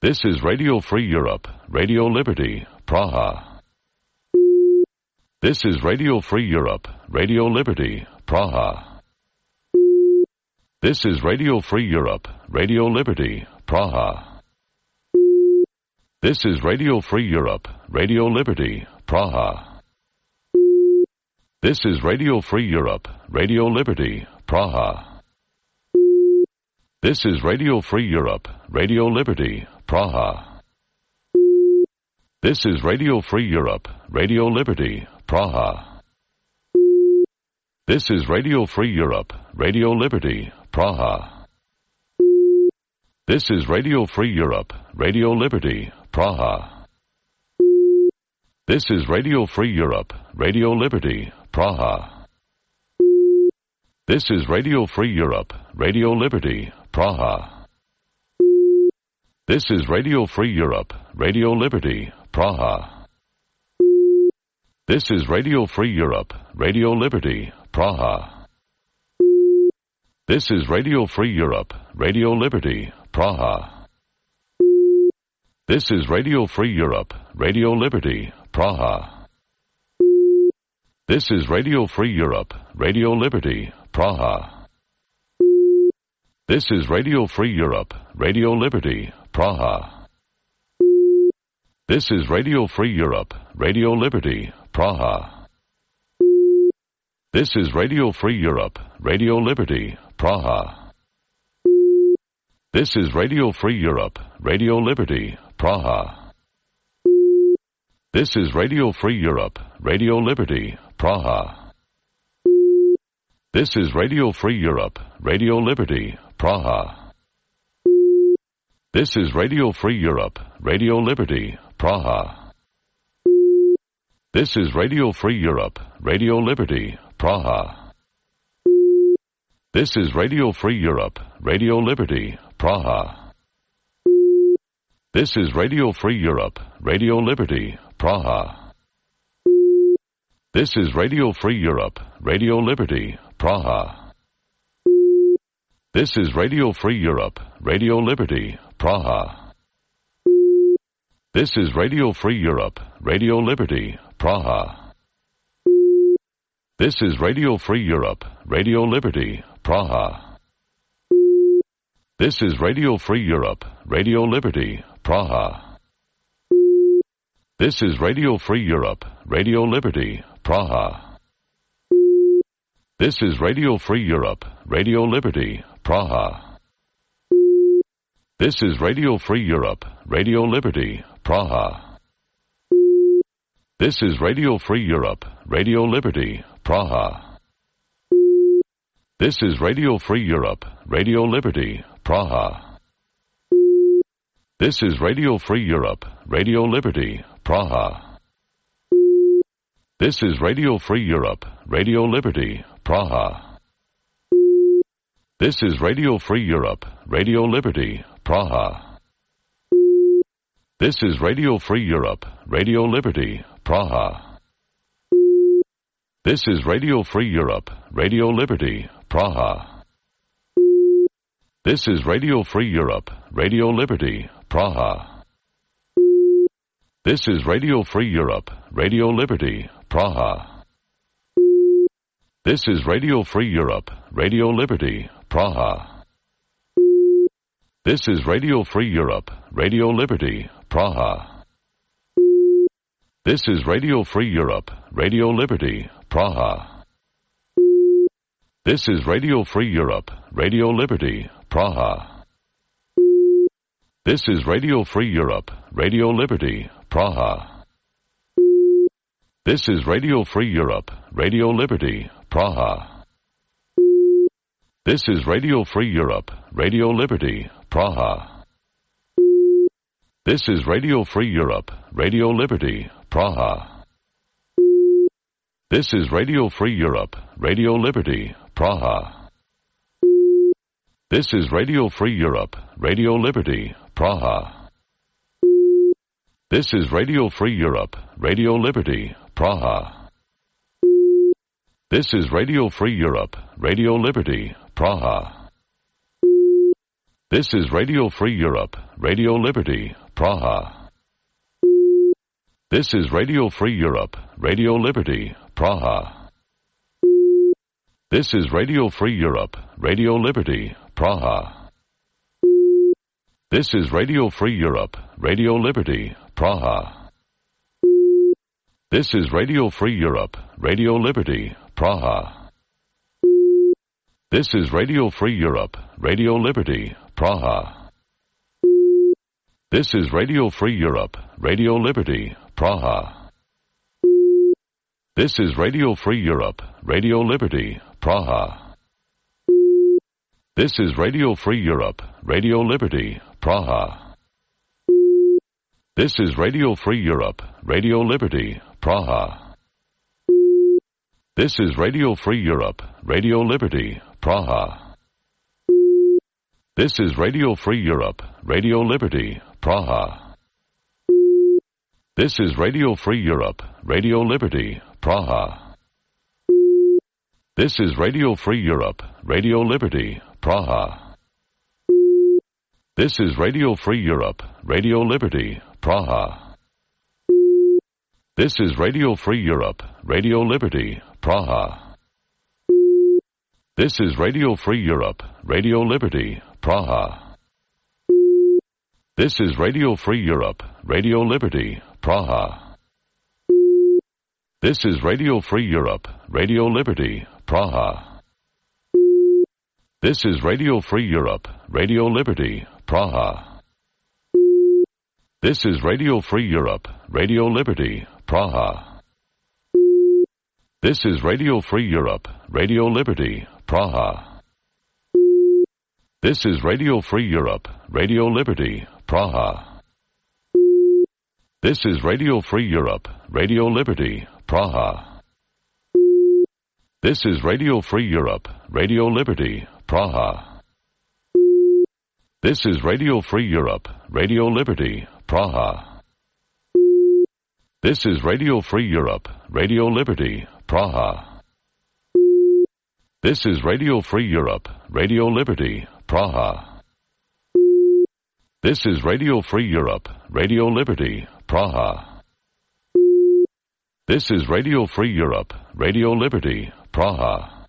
This is Radio Free Europe, Radio Liberty, Praha. This is Radio Free Europe, Radio Liberty, Praha. This is Radio Free Europe, Radio Liberty, Praha. This is Radio Free Europe, Radio Liberty, Praha. This is Radio Free Europe, Radio Liberty, Praha. This is Radio Free Europe, Radio Liberty, Praha. This is Radio Free Europe, Radio Liberty, Praha. This is Radio Free Europe, Radio Liberty, Praha. This is Radio Free Europe, Radio Liberty, Praha. This is Radio Free Europe, Radio Liberty, Praha. This is Radio Free Europe, Radio Liberty, Praha. This is Radio Free Europe, Radio Liberty, Praha. This is Radio Free Europe, Radio Liberty, Praha. This is Radio Free Europe, Radio Liberty, Praha. This is Radio Free Europe, Radio Liberty, Praha. This is Radio Free Europe, Radio Liberty, Praha. This is Radio Free Europe, Radio Liberty, Praha. This is Radio Free Europe, Radio Liberty, Praha. This is Radio Free Europe, Radio Liberty, Praha. This is Radio Free Europe, Radio Liberty, Praha. This is Radio Free Europe, Radio Liberty, Praha. This is Radio Free Europe, Radio Liberty, Praha. This is Radio Free Europe, Radio Liberty, Praha. This is Radio Free Europe, Radio Liberty, Praha. This is Radio Free Europe, Radio Liberty, Praha. This is Radio Free Europe, Radio Liberty, Praha. This is Radio Free Europe, Radio Liberty, Praha. This is Radio Free Europe, Radio Liberty, Praha. This is Radio Free Europe, Radio Liberty, Praha. This is Radio Free Europe, Radio Liberty, Praha. This is Radio Free Europe, Radio Liberty, Praha. This is Radio Free Europe, Radio Liberty, Praha. This is Radio Free Europe, Radio Liberty, Praha. This is Radio Free Europe, Radio Liberty, Praha. This is Radio Free Europe, Radio Liberty, Praha. This is Radio Free Europe, Radio Liberty, Praha. This is Radio Free Europe, Radio Liberty, Praha. This is Radio Free Europe, Radio Liberty, Praha. This is Radio Free Europe, Radio Liberty, Praha. This is Radio Free Europe, Radio Liberty, Praha. This is Radio Free Europe, Radio Liberty, Praha. This is Radio Free Europe, Radio Liberty, Praha. This is Radio Free Europe, Radio Liberty, Praha. This is Radio Free Europe, Radio Liberty, Praha. This is Radio Free Europe, Radio Liberty, Praha. This is Radio Free Europe, Radio Liberty, Praha. This is Radio Free Europe, Radio Liberty, Praha. This is Radio Free Europe, Radio Liberty, Praha. This is Radio Free Europe, Radio Liberty, Praha. This is Radio Free Europe, Radio Liberty, Praha. This is Radio Free Europe, Radio Liberty, Praha. This is Radio Free Europe, Radio Liberty, Praha. This is Radio Free Europe, Radio Liberty, Praha. This is Radio Free Europe, Radio Liberty, Praha. This is Radio Free Europe, Radio Liberty, Praha. This is Radio Free Europe, Radio Liberty, Praha. This is Radio Free Europe, Radio Liberty, Praha. This is Radio Free Europe, Radio Liberty, Praha. This is Radio Free Europe, Radio Liberty, Praha. This is Radio Free Europe, Radio Liberty, Praha. This is Radio Free Europe, Radio Liberty, Praha. This is Radio Free Europe, Radio Liberty, Praha. This is Radio Free Europe, Radio Liberty, Praha. This is Radio Free Europe, Radio Liberty, Praha. This is Radio Free Europe, Radio Liberty, Praha. This is Radio Free Europe, Radio Liberty, Praha. This is Radio Free Europe, Radio Liberty, Praha. This is Radio Free Europe, Radio Liberty, Praha. This is Radio Free Europe, Radio Liberty, Praha. This is Radio Free Europe, Radio Liberty, Praha. This is Radio Free Europe, Radio Liberty, Praha. This is Radio Free Europe, Radio Liberty, Praha. This is Radio Free Europe, Radio Liberty, Praha. This is Radio Free Europe, Radio Liberty, Praha. This is Radio Free Europe, Radio Liberty, Praha. This is Radio Free Europe, Radio Liberty, Praha. This is Radio Free Europe, Radio Liberty, Praha. This is Radio Free Europe, Radio Liberty, Praha. This is Radio Free Europe, Radio Liberty, Praha. This is Radio Free Europe, Radio Liberty, Praha. This is Radio Free Europe, Radio Liberty, Praha. This is Radio Free Europe, Radio Liberty, Praha. This is Radio Free Europe, Radio Liberty, Praha. This is Radio Free Europe, Radio Liberty, Praha. This is Radio Free Europe, Radio Liberty, Praha.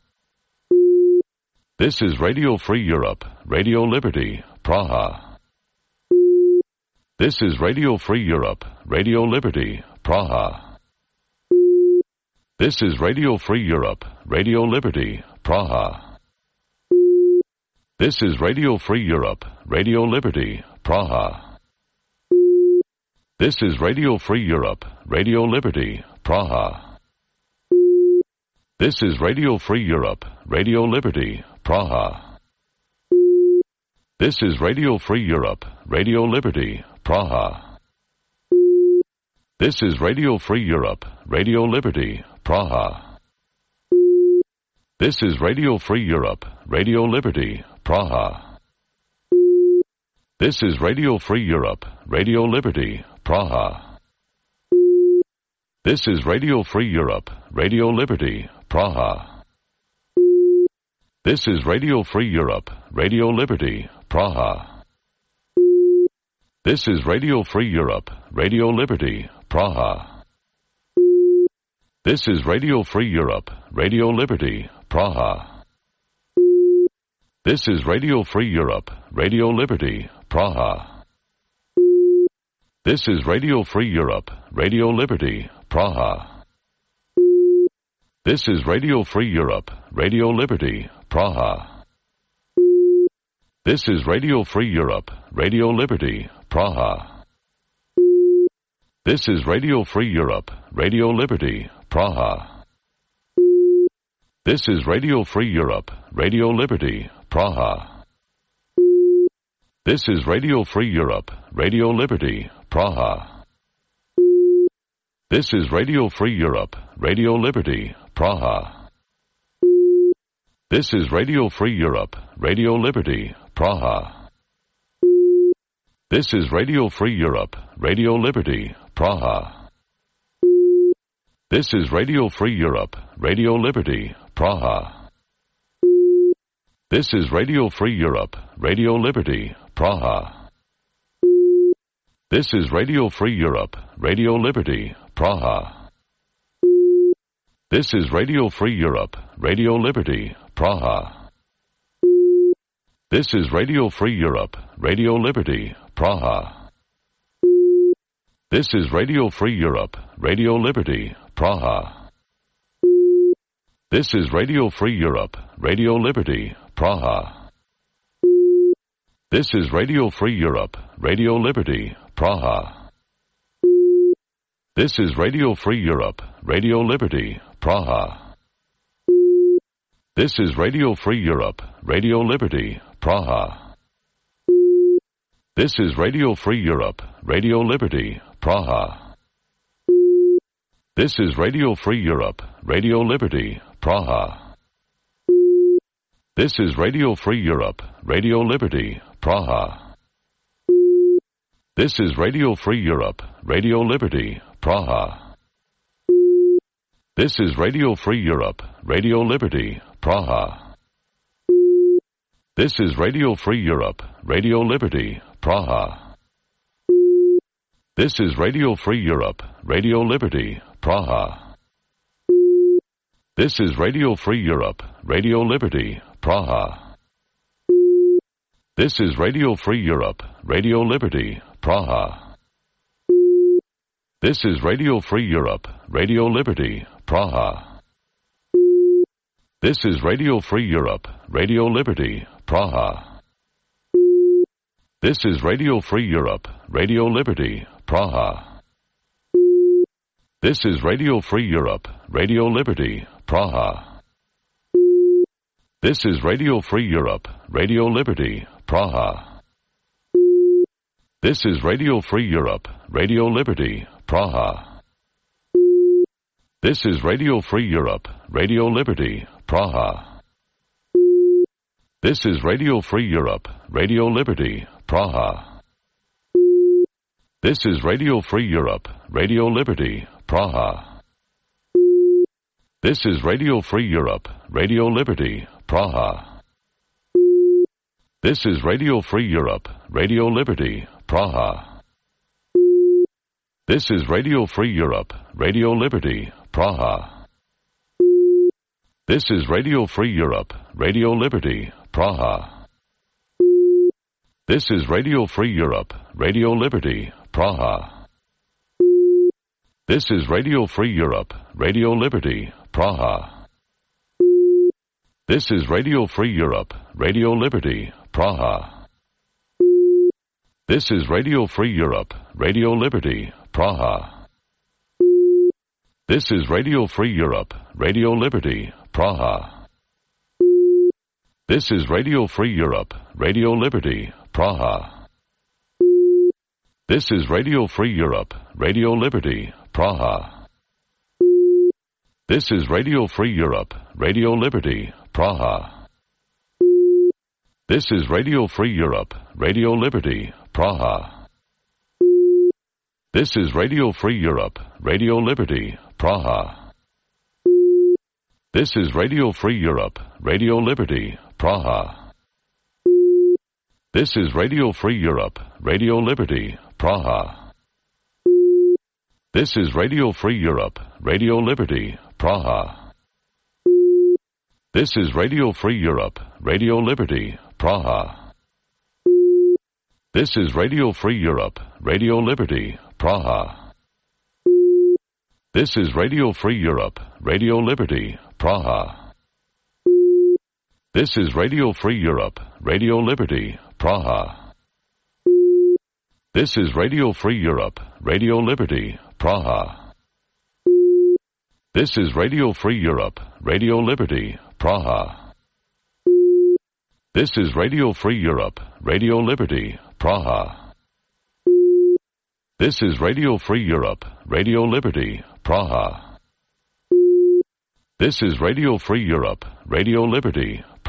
This is Radio Free Europe, Radio Liberty, Praha. This is Radio Free Europe, Radio Liberty, Praha. This is Radio Free Europe, Radio Liberty, Praha. This is Radio Free Europe, Radio Liberty, Praha. This is Radio Free Europe, Radio Liberty, Praha. This is Radio Free Europe, Radio Liberty, Praha. This is Radio Free Europe, Radio Liberty, Praha. This is Radio Free Europe, Radio Liberty, Praha. This is Radio Free Europe, Radio Liberty, Praha. This is Radio Free Europe, Radio Liberty, Praha. This is Radio Free Europe, Radio Liberty, Praha. This is Radio Free Europe, Radio Liberty, Praha. This is Radio Free Europe, Radio Liberty, Praha. This is Radio Free Europe, Radio Liberty, Praha. This is Radio Free Europe, Radio Liberty, Praha. This is Radio Free Europe, Radio Liberty, Praha. This is Radio Free Europe, Radio Liberty, Praha. This is Radio Free Europe, Radio Liberty, Praha. This is Radio Free Europe, Radio Liberty, Praha. This is Radio Free Europe, Radio Liberty, Praha. This is Radio Free Europe, Radio Liberty, Praha. This is Radio Free Europe, Radio Liberty, Praha. This is Radio Free Europe, Radio Liberty, Praha. This is Radio Free Europe, Radio Liberty, Praha. This is Radio Free Europe, Radio Liberty, Praha. This is Radio Free Europe, Radio Liberty, Praha. This is Radio Free Europe, Radio Liberty, Praha. This is Radio Free Europe, Radio Liberty, Praha. This is Radio Free Europe, Radio Liberty, Praha. This is Radio Free Europe, Radio Liberty, Praha. This is Radio Free Europe, Radio Liberty, Praha. This is Radio Free Europe, Radio Liberty, Praha. This is Radio Free Europe, Radio Liberty, Praha. This is Radio Free Europe, Radio Liberty, Praha. This is Radio Free Europe, Radio Liberty, Praha. This is Radio Free Europe, Radio Liberty, Praha. This is Radio Free Europe, Radio Liberty, Praha. This is Radio Free Europe, Radio Liberty, Praha. This is Radio Free Europe, Radio Liberty, Praha. This is Radio Free Europe, Radio Liberty, Praha. This is Radio Free Europe, Radio Liberty, Praha. This is Radio Free Europe, Radio Liberty, Praha. This is Radio Free Europe, Radio Liberty, Praha. This is Radio Free Europe, Radio Liberty, Praha. This is Radio Free Europe, Radio Liberty, Praha. This is Radio Free Europe, Radio Liberty, Praha. This is Radio Free Europe, Radio Liberty, Praha. This is Radio Free Europe, Radio Liberty, Praha. This is Radio Free Europe, Radio Liberty, Praha. This is Radio Free Europe, Radio Liberty, Praha. This is Radio Free Europe, Radio Liberty, Praha. This is Radio Free Europe, Radio Liberty, Praha. This is Radio Free Europe, Radio Liberty, Praha. This is Radio Free Europe, Radio Liberty, Praha. This is Radio Free Europe, Radio Liberty, Praha. This is Radio Free Europe, Radio Liberty, Praha. This is Radio Free Europe, Radio Liberty, Praha. This is Radio Free Europe, Radio Liberty, Praha. This is Radio Free Europe, Radio Liberty, Praha. This is Radio Free Europe, Radio Liberty, Praha. This is Radio Free Europe, Radio Liberty, Praha. This is Radio Free Europe, Radio Liberty, Praha. This is Radio Free Europe, Radio Liberty, Praha. This is Radio Free Europe, Radio Liberty, Praha. This is Radio Free Europe, Radio Liberty, Praha. This is Radio Free Europe, Radio Liberty, Praha. This is Radio Free Europe, Radio Liberty, Praha. This is Radio Free Europe, Radio Liberty, Praha. This is Radio Free Europe, Radio Liberty, Praha. This is Radio Free Europe, Radio Liberty, Praha. This is Radio Free Europe, Radio Liberty, Praha. This is Radio Free Europe, Radio Liberty, Praha. This is Radio Free Europe, Radio Liberty, Praha. This is Radio Free Europe, Radio Liberty, Praha. This is Radio Free Europe, Radio Liberty, Praha. This is Radio Free Europe, Radio Liberty, Praha. This is Radio Free Europe, Radio Liberty, Praha. This is Radio Free Europe, Radio Liberty,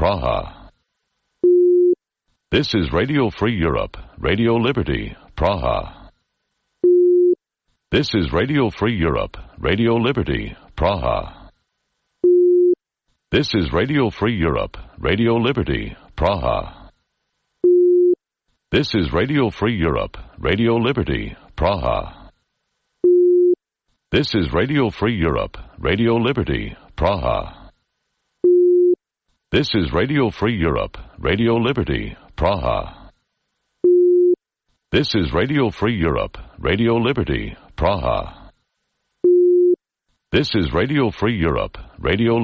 Praha. This is Radio Free Europe, Radio Liberty, Praha. This is Radio Free Europe, Radio Liberty, Praha. This is Radio Free Europe, Radio Liberty, Praha. This is Radio Free Europe, Radio Liberty, Praha. This is Radio Free Europe, Radio Liberty, Praha. This is Radio Free Europe, Radio Liberty, Praha. This is Radio Free Europe, Radio Liberty, Praha. This is Radio Free Europe, Radio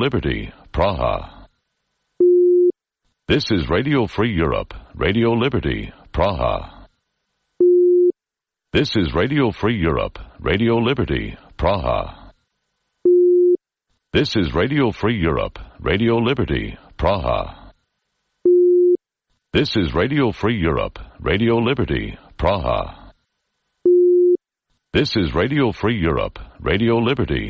Liberty, Praha. This is Radio Free Europe, Radio Liberty, Praha. This is Radio Free Europe, Radio Liberty, Praha. This is Radio Free Europe, Radio Liberty, Praha. This is Radio Free Europe, Radio Liberty, Praha. This is Radio Free Europe, Radio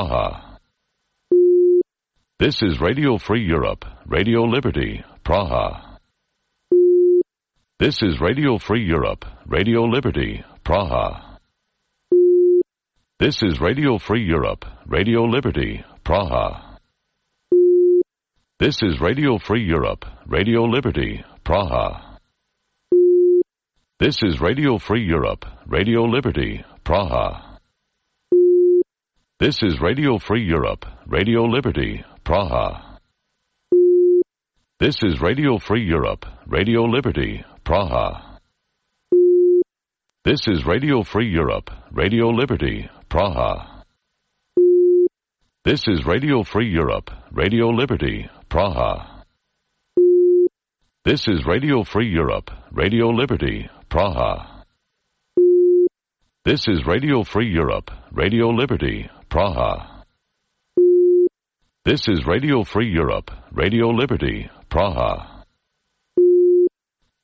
Liberty, Praha. This is Radio Free Europe, Radio Liberty, Praha. This is Radio Free Europe, Radio Liberty, Praha. This is Radio Free Europe, Radio Liberty, Praha. This is Radio Free Europe, Radio Liberty, Praha. This is Radio Free Europe, Radio Liberty, Praha. This is Radio Free Europe, Radio Liberty, Praha. This is Radio Free Europe, Radio Liberty, Praha. This is Radio Free Europe, Radio Liberty, Praha. This is Radio Free Europe, Radio Liberty, Praha. This is Radio Free Europe, Radio Liberty, Praha. This is Radio Free Europe, Radio Liberty, Praha. This is Radio Free Europe, Radio Liberty, Praha.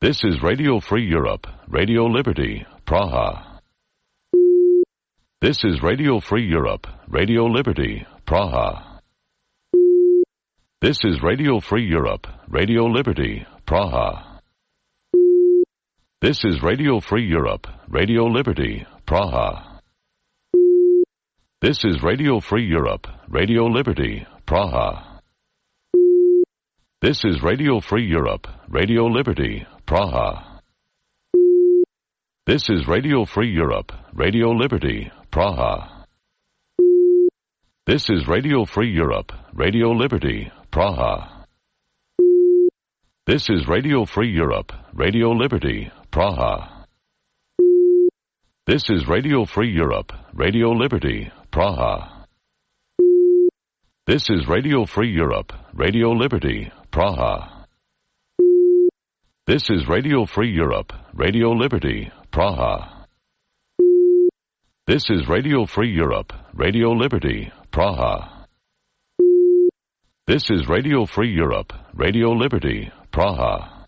This is Radio Free Europe, Radio Liberty, Praha. This is Radio Free Europe, Radio Liberty, Praha. This is Radio Free Europe, Radio Liberty, Praha. This is Radio Free Europe, Radio Liberty, Praha. This is Radio Free Europe, Radio Liberty, Praha. This is Radio Free Europe, Radio Liberty, Praha. This is Radio Free Europe, Radio Liberty, Praha. This is Radio Free Europe, Radio Liberty, Praha. This is Radio Free Europe, Radio Liberty, Praha. This is Radio Free Europe, Radio Liberty, Praha. This is Radio Free Europe, Radio Liberty, Praha. This is Radio Free Europe, Radio Liberty, Praha. This is Radio Free Europe, Radio Liberty, Praha. This is Radio Free Europe, Radio Liberty, Praha.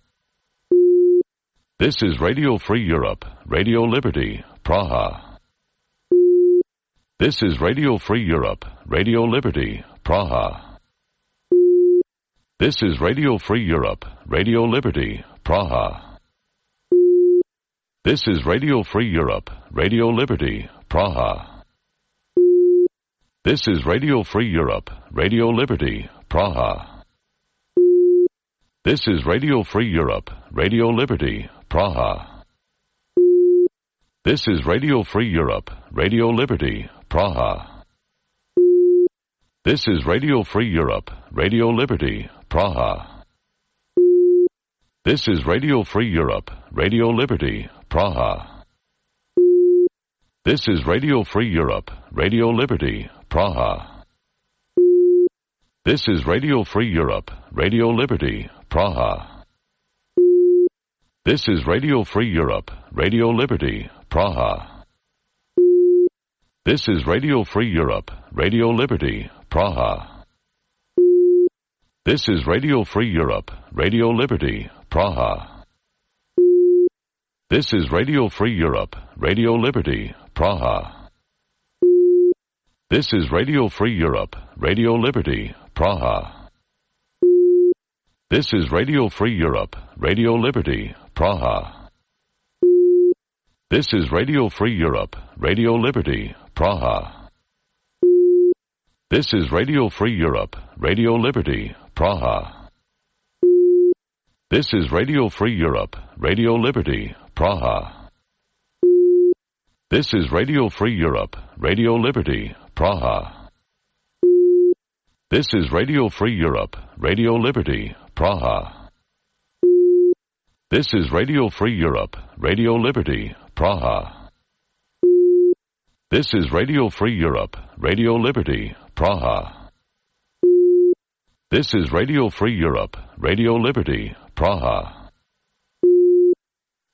This is Radio Free Europe, Radio Liberty, Praha. This is Radio Free Europe, Radio Liberty, Praha. This is Radio Free Europe, Radio Liberty, Praha. This is Radio Free Europe, Radio Liberty, Praha. This is Radio Free Europe, Radio Liberty, Praha. This is Radio Free Europe, Radio Liberty, Praha. This is Radio Free Europe, Radio Liberty, Praha. This is Radio Free Europe, Radio Liberty, Praha. This is Radio Free Europe, Radio Liberty, Praha. This is Radio Free Europe, Radio Liberty, Praha. This is Radio Free Europe, Radio Liberty, Praha. This is Radio Free Europe, Radio Liberty, Praha. This is Radio Free Europe, Radio Liberty, Praha. This is Radio Free Europe, Radio Liberty, Praha. This is Radio Free Europe, Radio Liberty, Praha. This is Radio Free Europe, Radio Liberty, Praha. This is Radio Free Europe, Radio Liberty, Praha. This is Radio Free Europe, Radio Liberty, Praha. This is Radio Free Europe, Radio Liberty, Praha. This is Radio Free Europe, Radio Liberty, Praha. This is Radio Free Europe, Radio Liberty, Praha. This is Radio Free Europe, Radio Liberty, Praha. This is Radio Free Europe, Radio Liberty, Praha. This is Radio Free Europe, Radio Liberty, Praha. This is Radio Free Europe, Radio Liberty, Praha.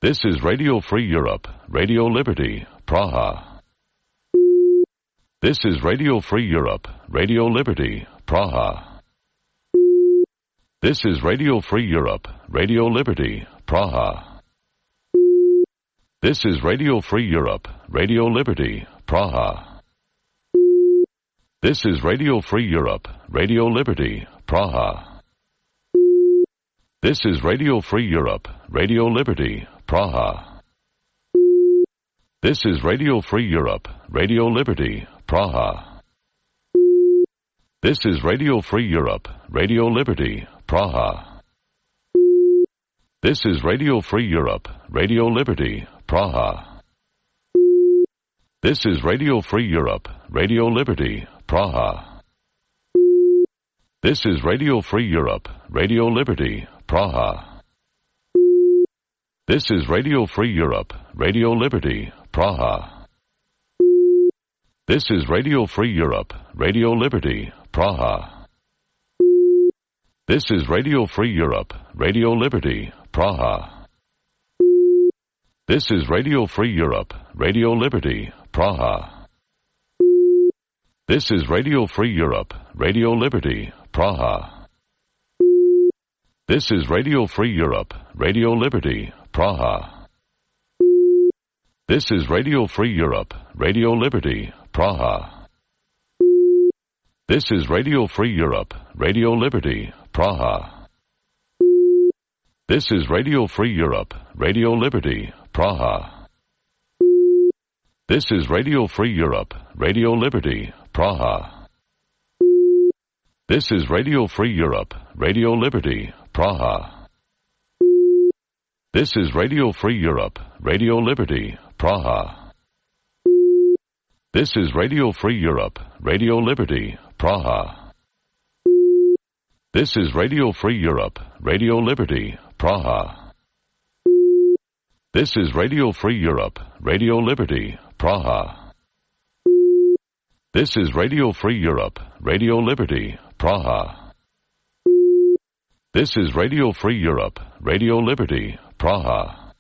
This is Radio Free Europe, Radio Liberty, Praha. This is Radio Free Europe, Radio Liberty, Praha. This is Radio Free Europe, Radio Liberty, Praha. This is Radio Free Europe, Radio Liberty, Praha. This is Radio Free Europe, Radio Liberty, Praha. This is Radio Free Europe, Radio Liberty, Praha. This is Radio Free Europe, Radio Liberty, Praha. This is Radio Free Europe, Radio Liberty, Praha. This is Radio Free Europe, Radio Liberty, Praha. This is Radio Free Europe, Radio Liberty, Praha. This is Radio Free Europe, Radio Liberty, Praha. This is Radio Free Europe, Radio Liberty, Praha. This is Radio Free Europe, Radio Liberty, Praha. This is Radio Free Europe, Radio Liberty, Praha. This is Radio Free Europe, Radio Liberty, Praha. This is Radio Free Europe, Radio Liberty, Praha. This is Radio Free Europe, Radio Liberty, Praha. This is Radio Free Europe, Radio Liberty, Praha. This is Radio Free Europe, Radio Liberty, Praha. This is Radio Free Europe, Radio Liberty, Praha. This is Radio Free Europe, Radio Liberty, Praha. This is Radio Free Europe, Radio Liberty, Praha. This is Radio Free Europe, Radio Liberty, Praha. This is Radio Free Europe, Radio Liberty, Praha. This is Radio Free Europe, Radio Liberty, Praha. This is Radio Free Europe, Radio Liberty, Praha. This is Radio Free Europe, Radio Liberty, Praha. This is Radio Free Europe, Radio Liberty, Praha.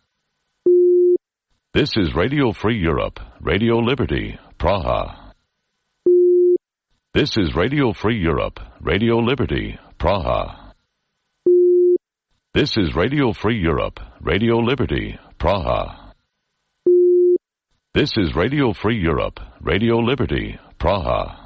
This is Radio Free Europe, Radio Liberty, Praha. This is Radio Free Europe, Radio Liberty, Praha. This is Radio Free Europe, Radio Liberty, Praha. This is Radio Free Europe, Radio Liberty, Praha.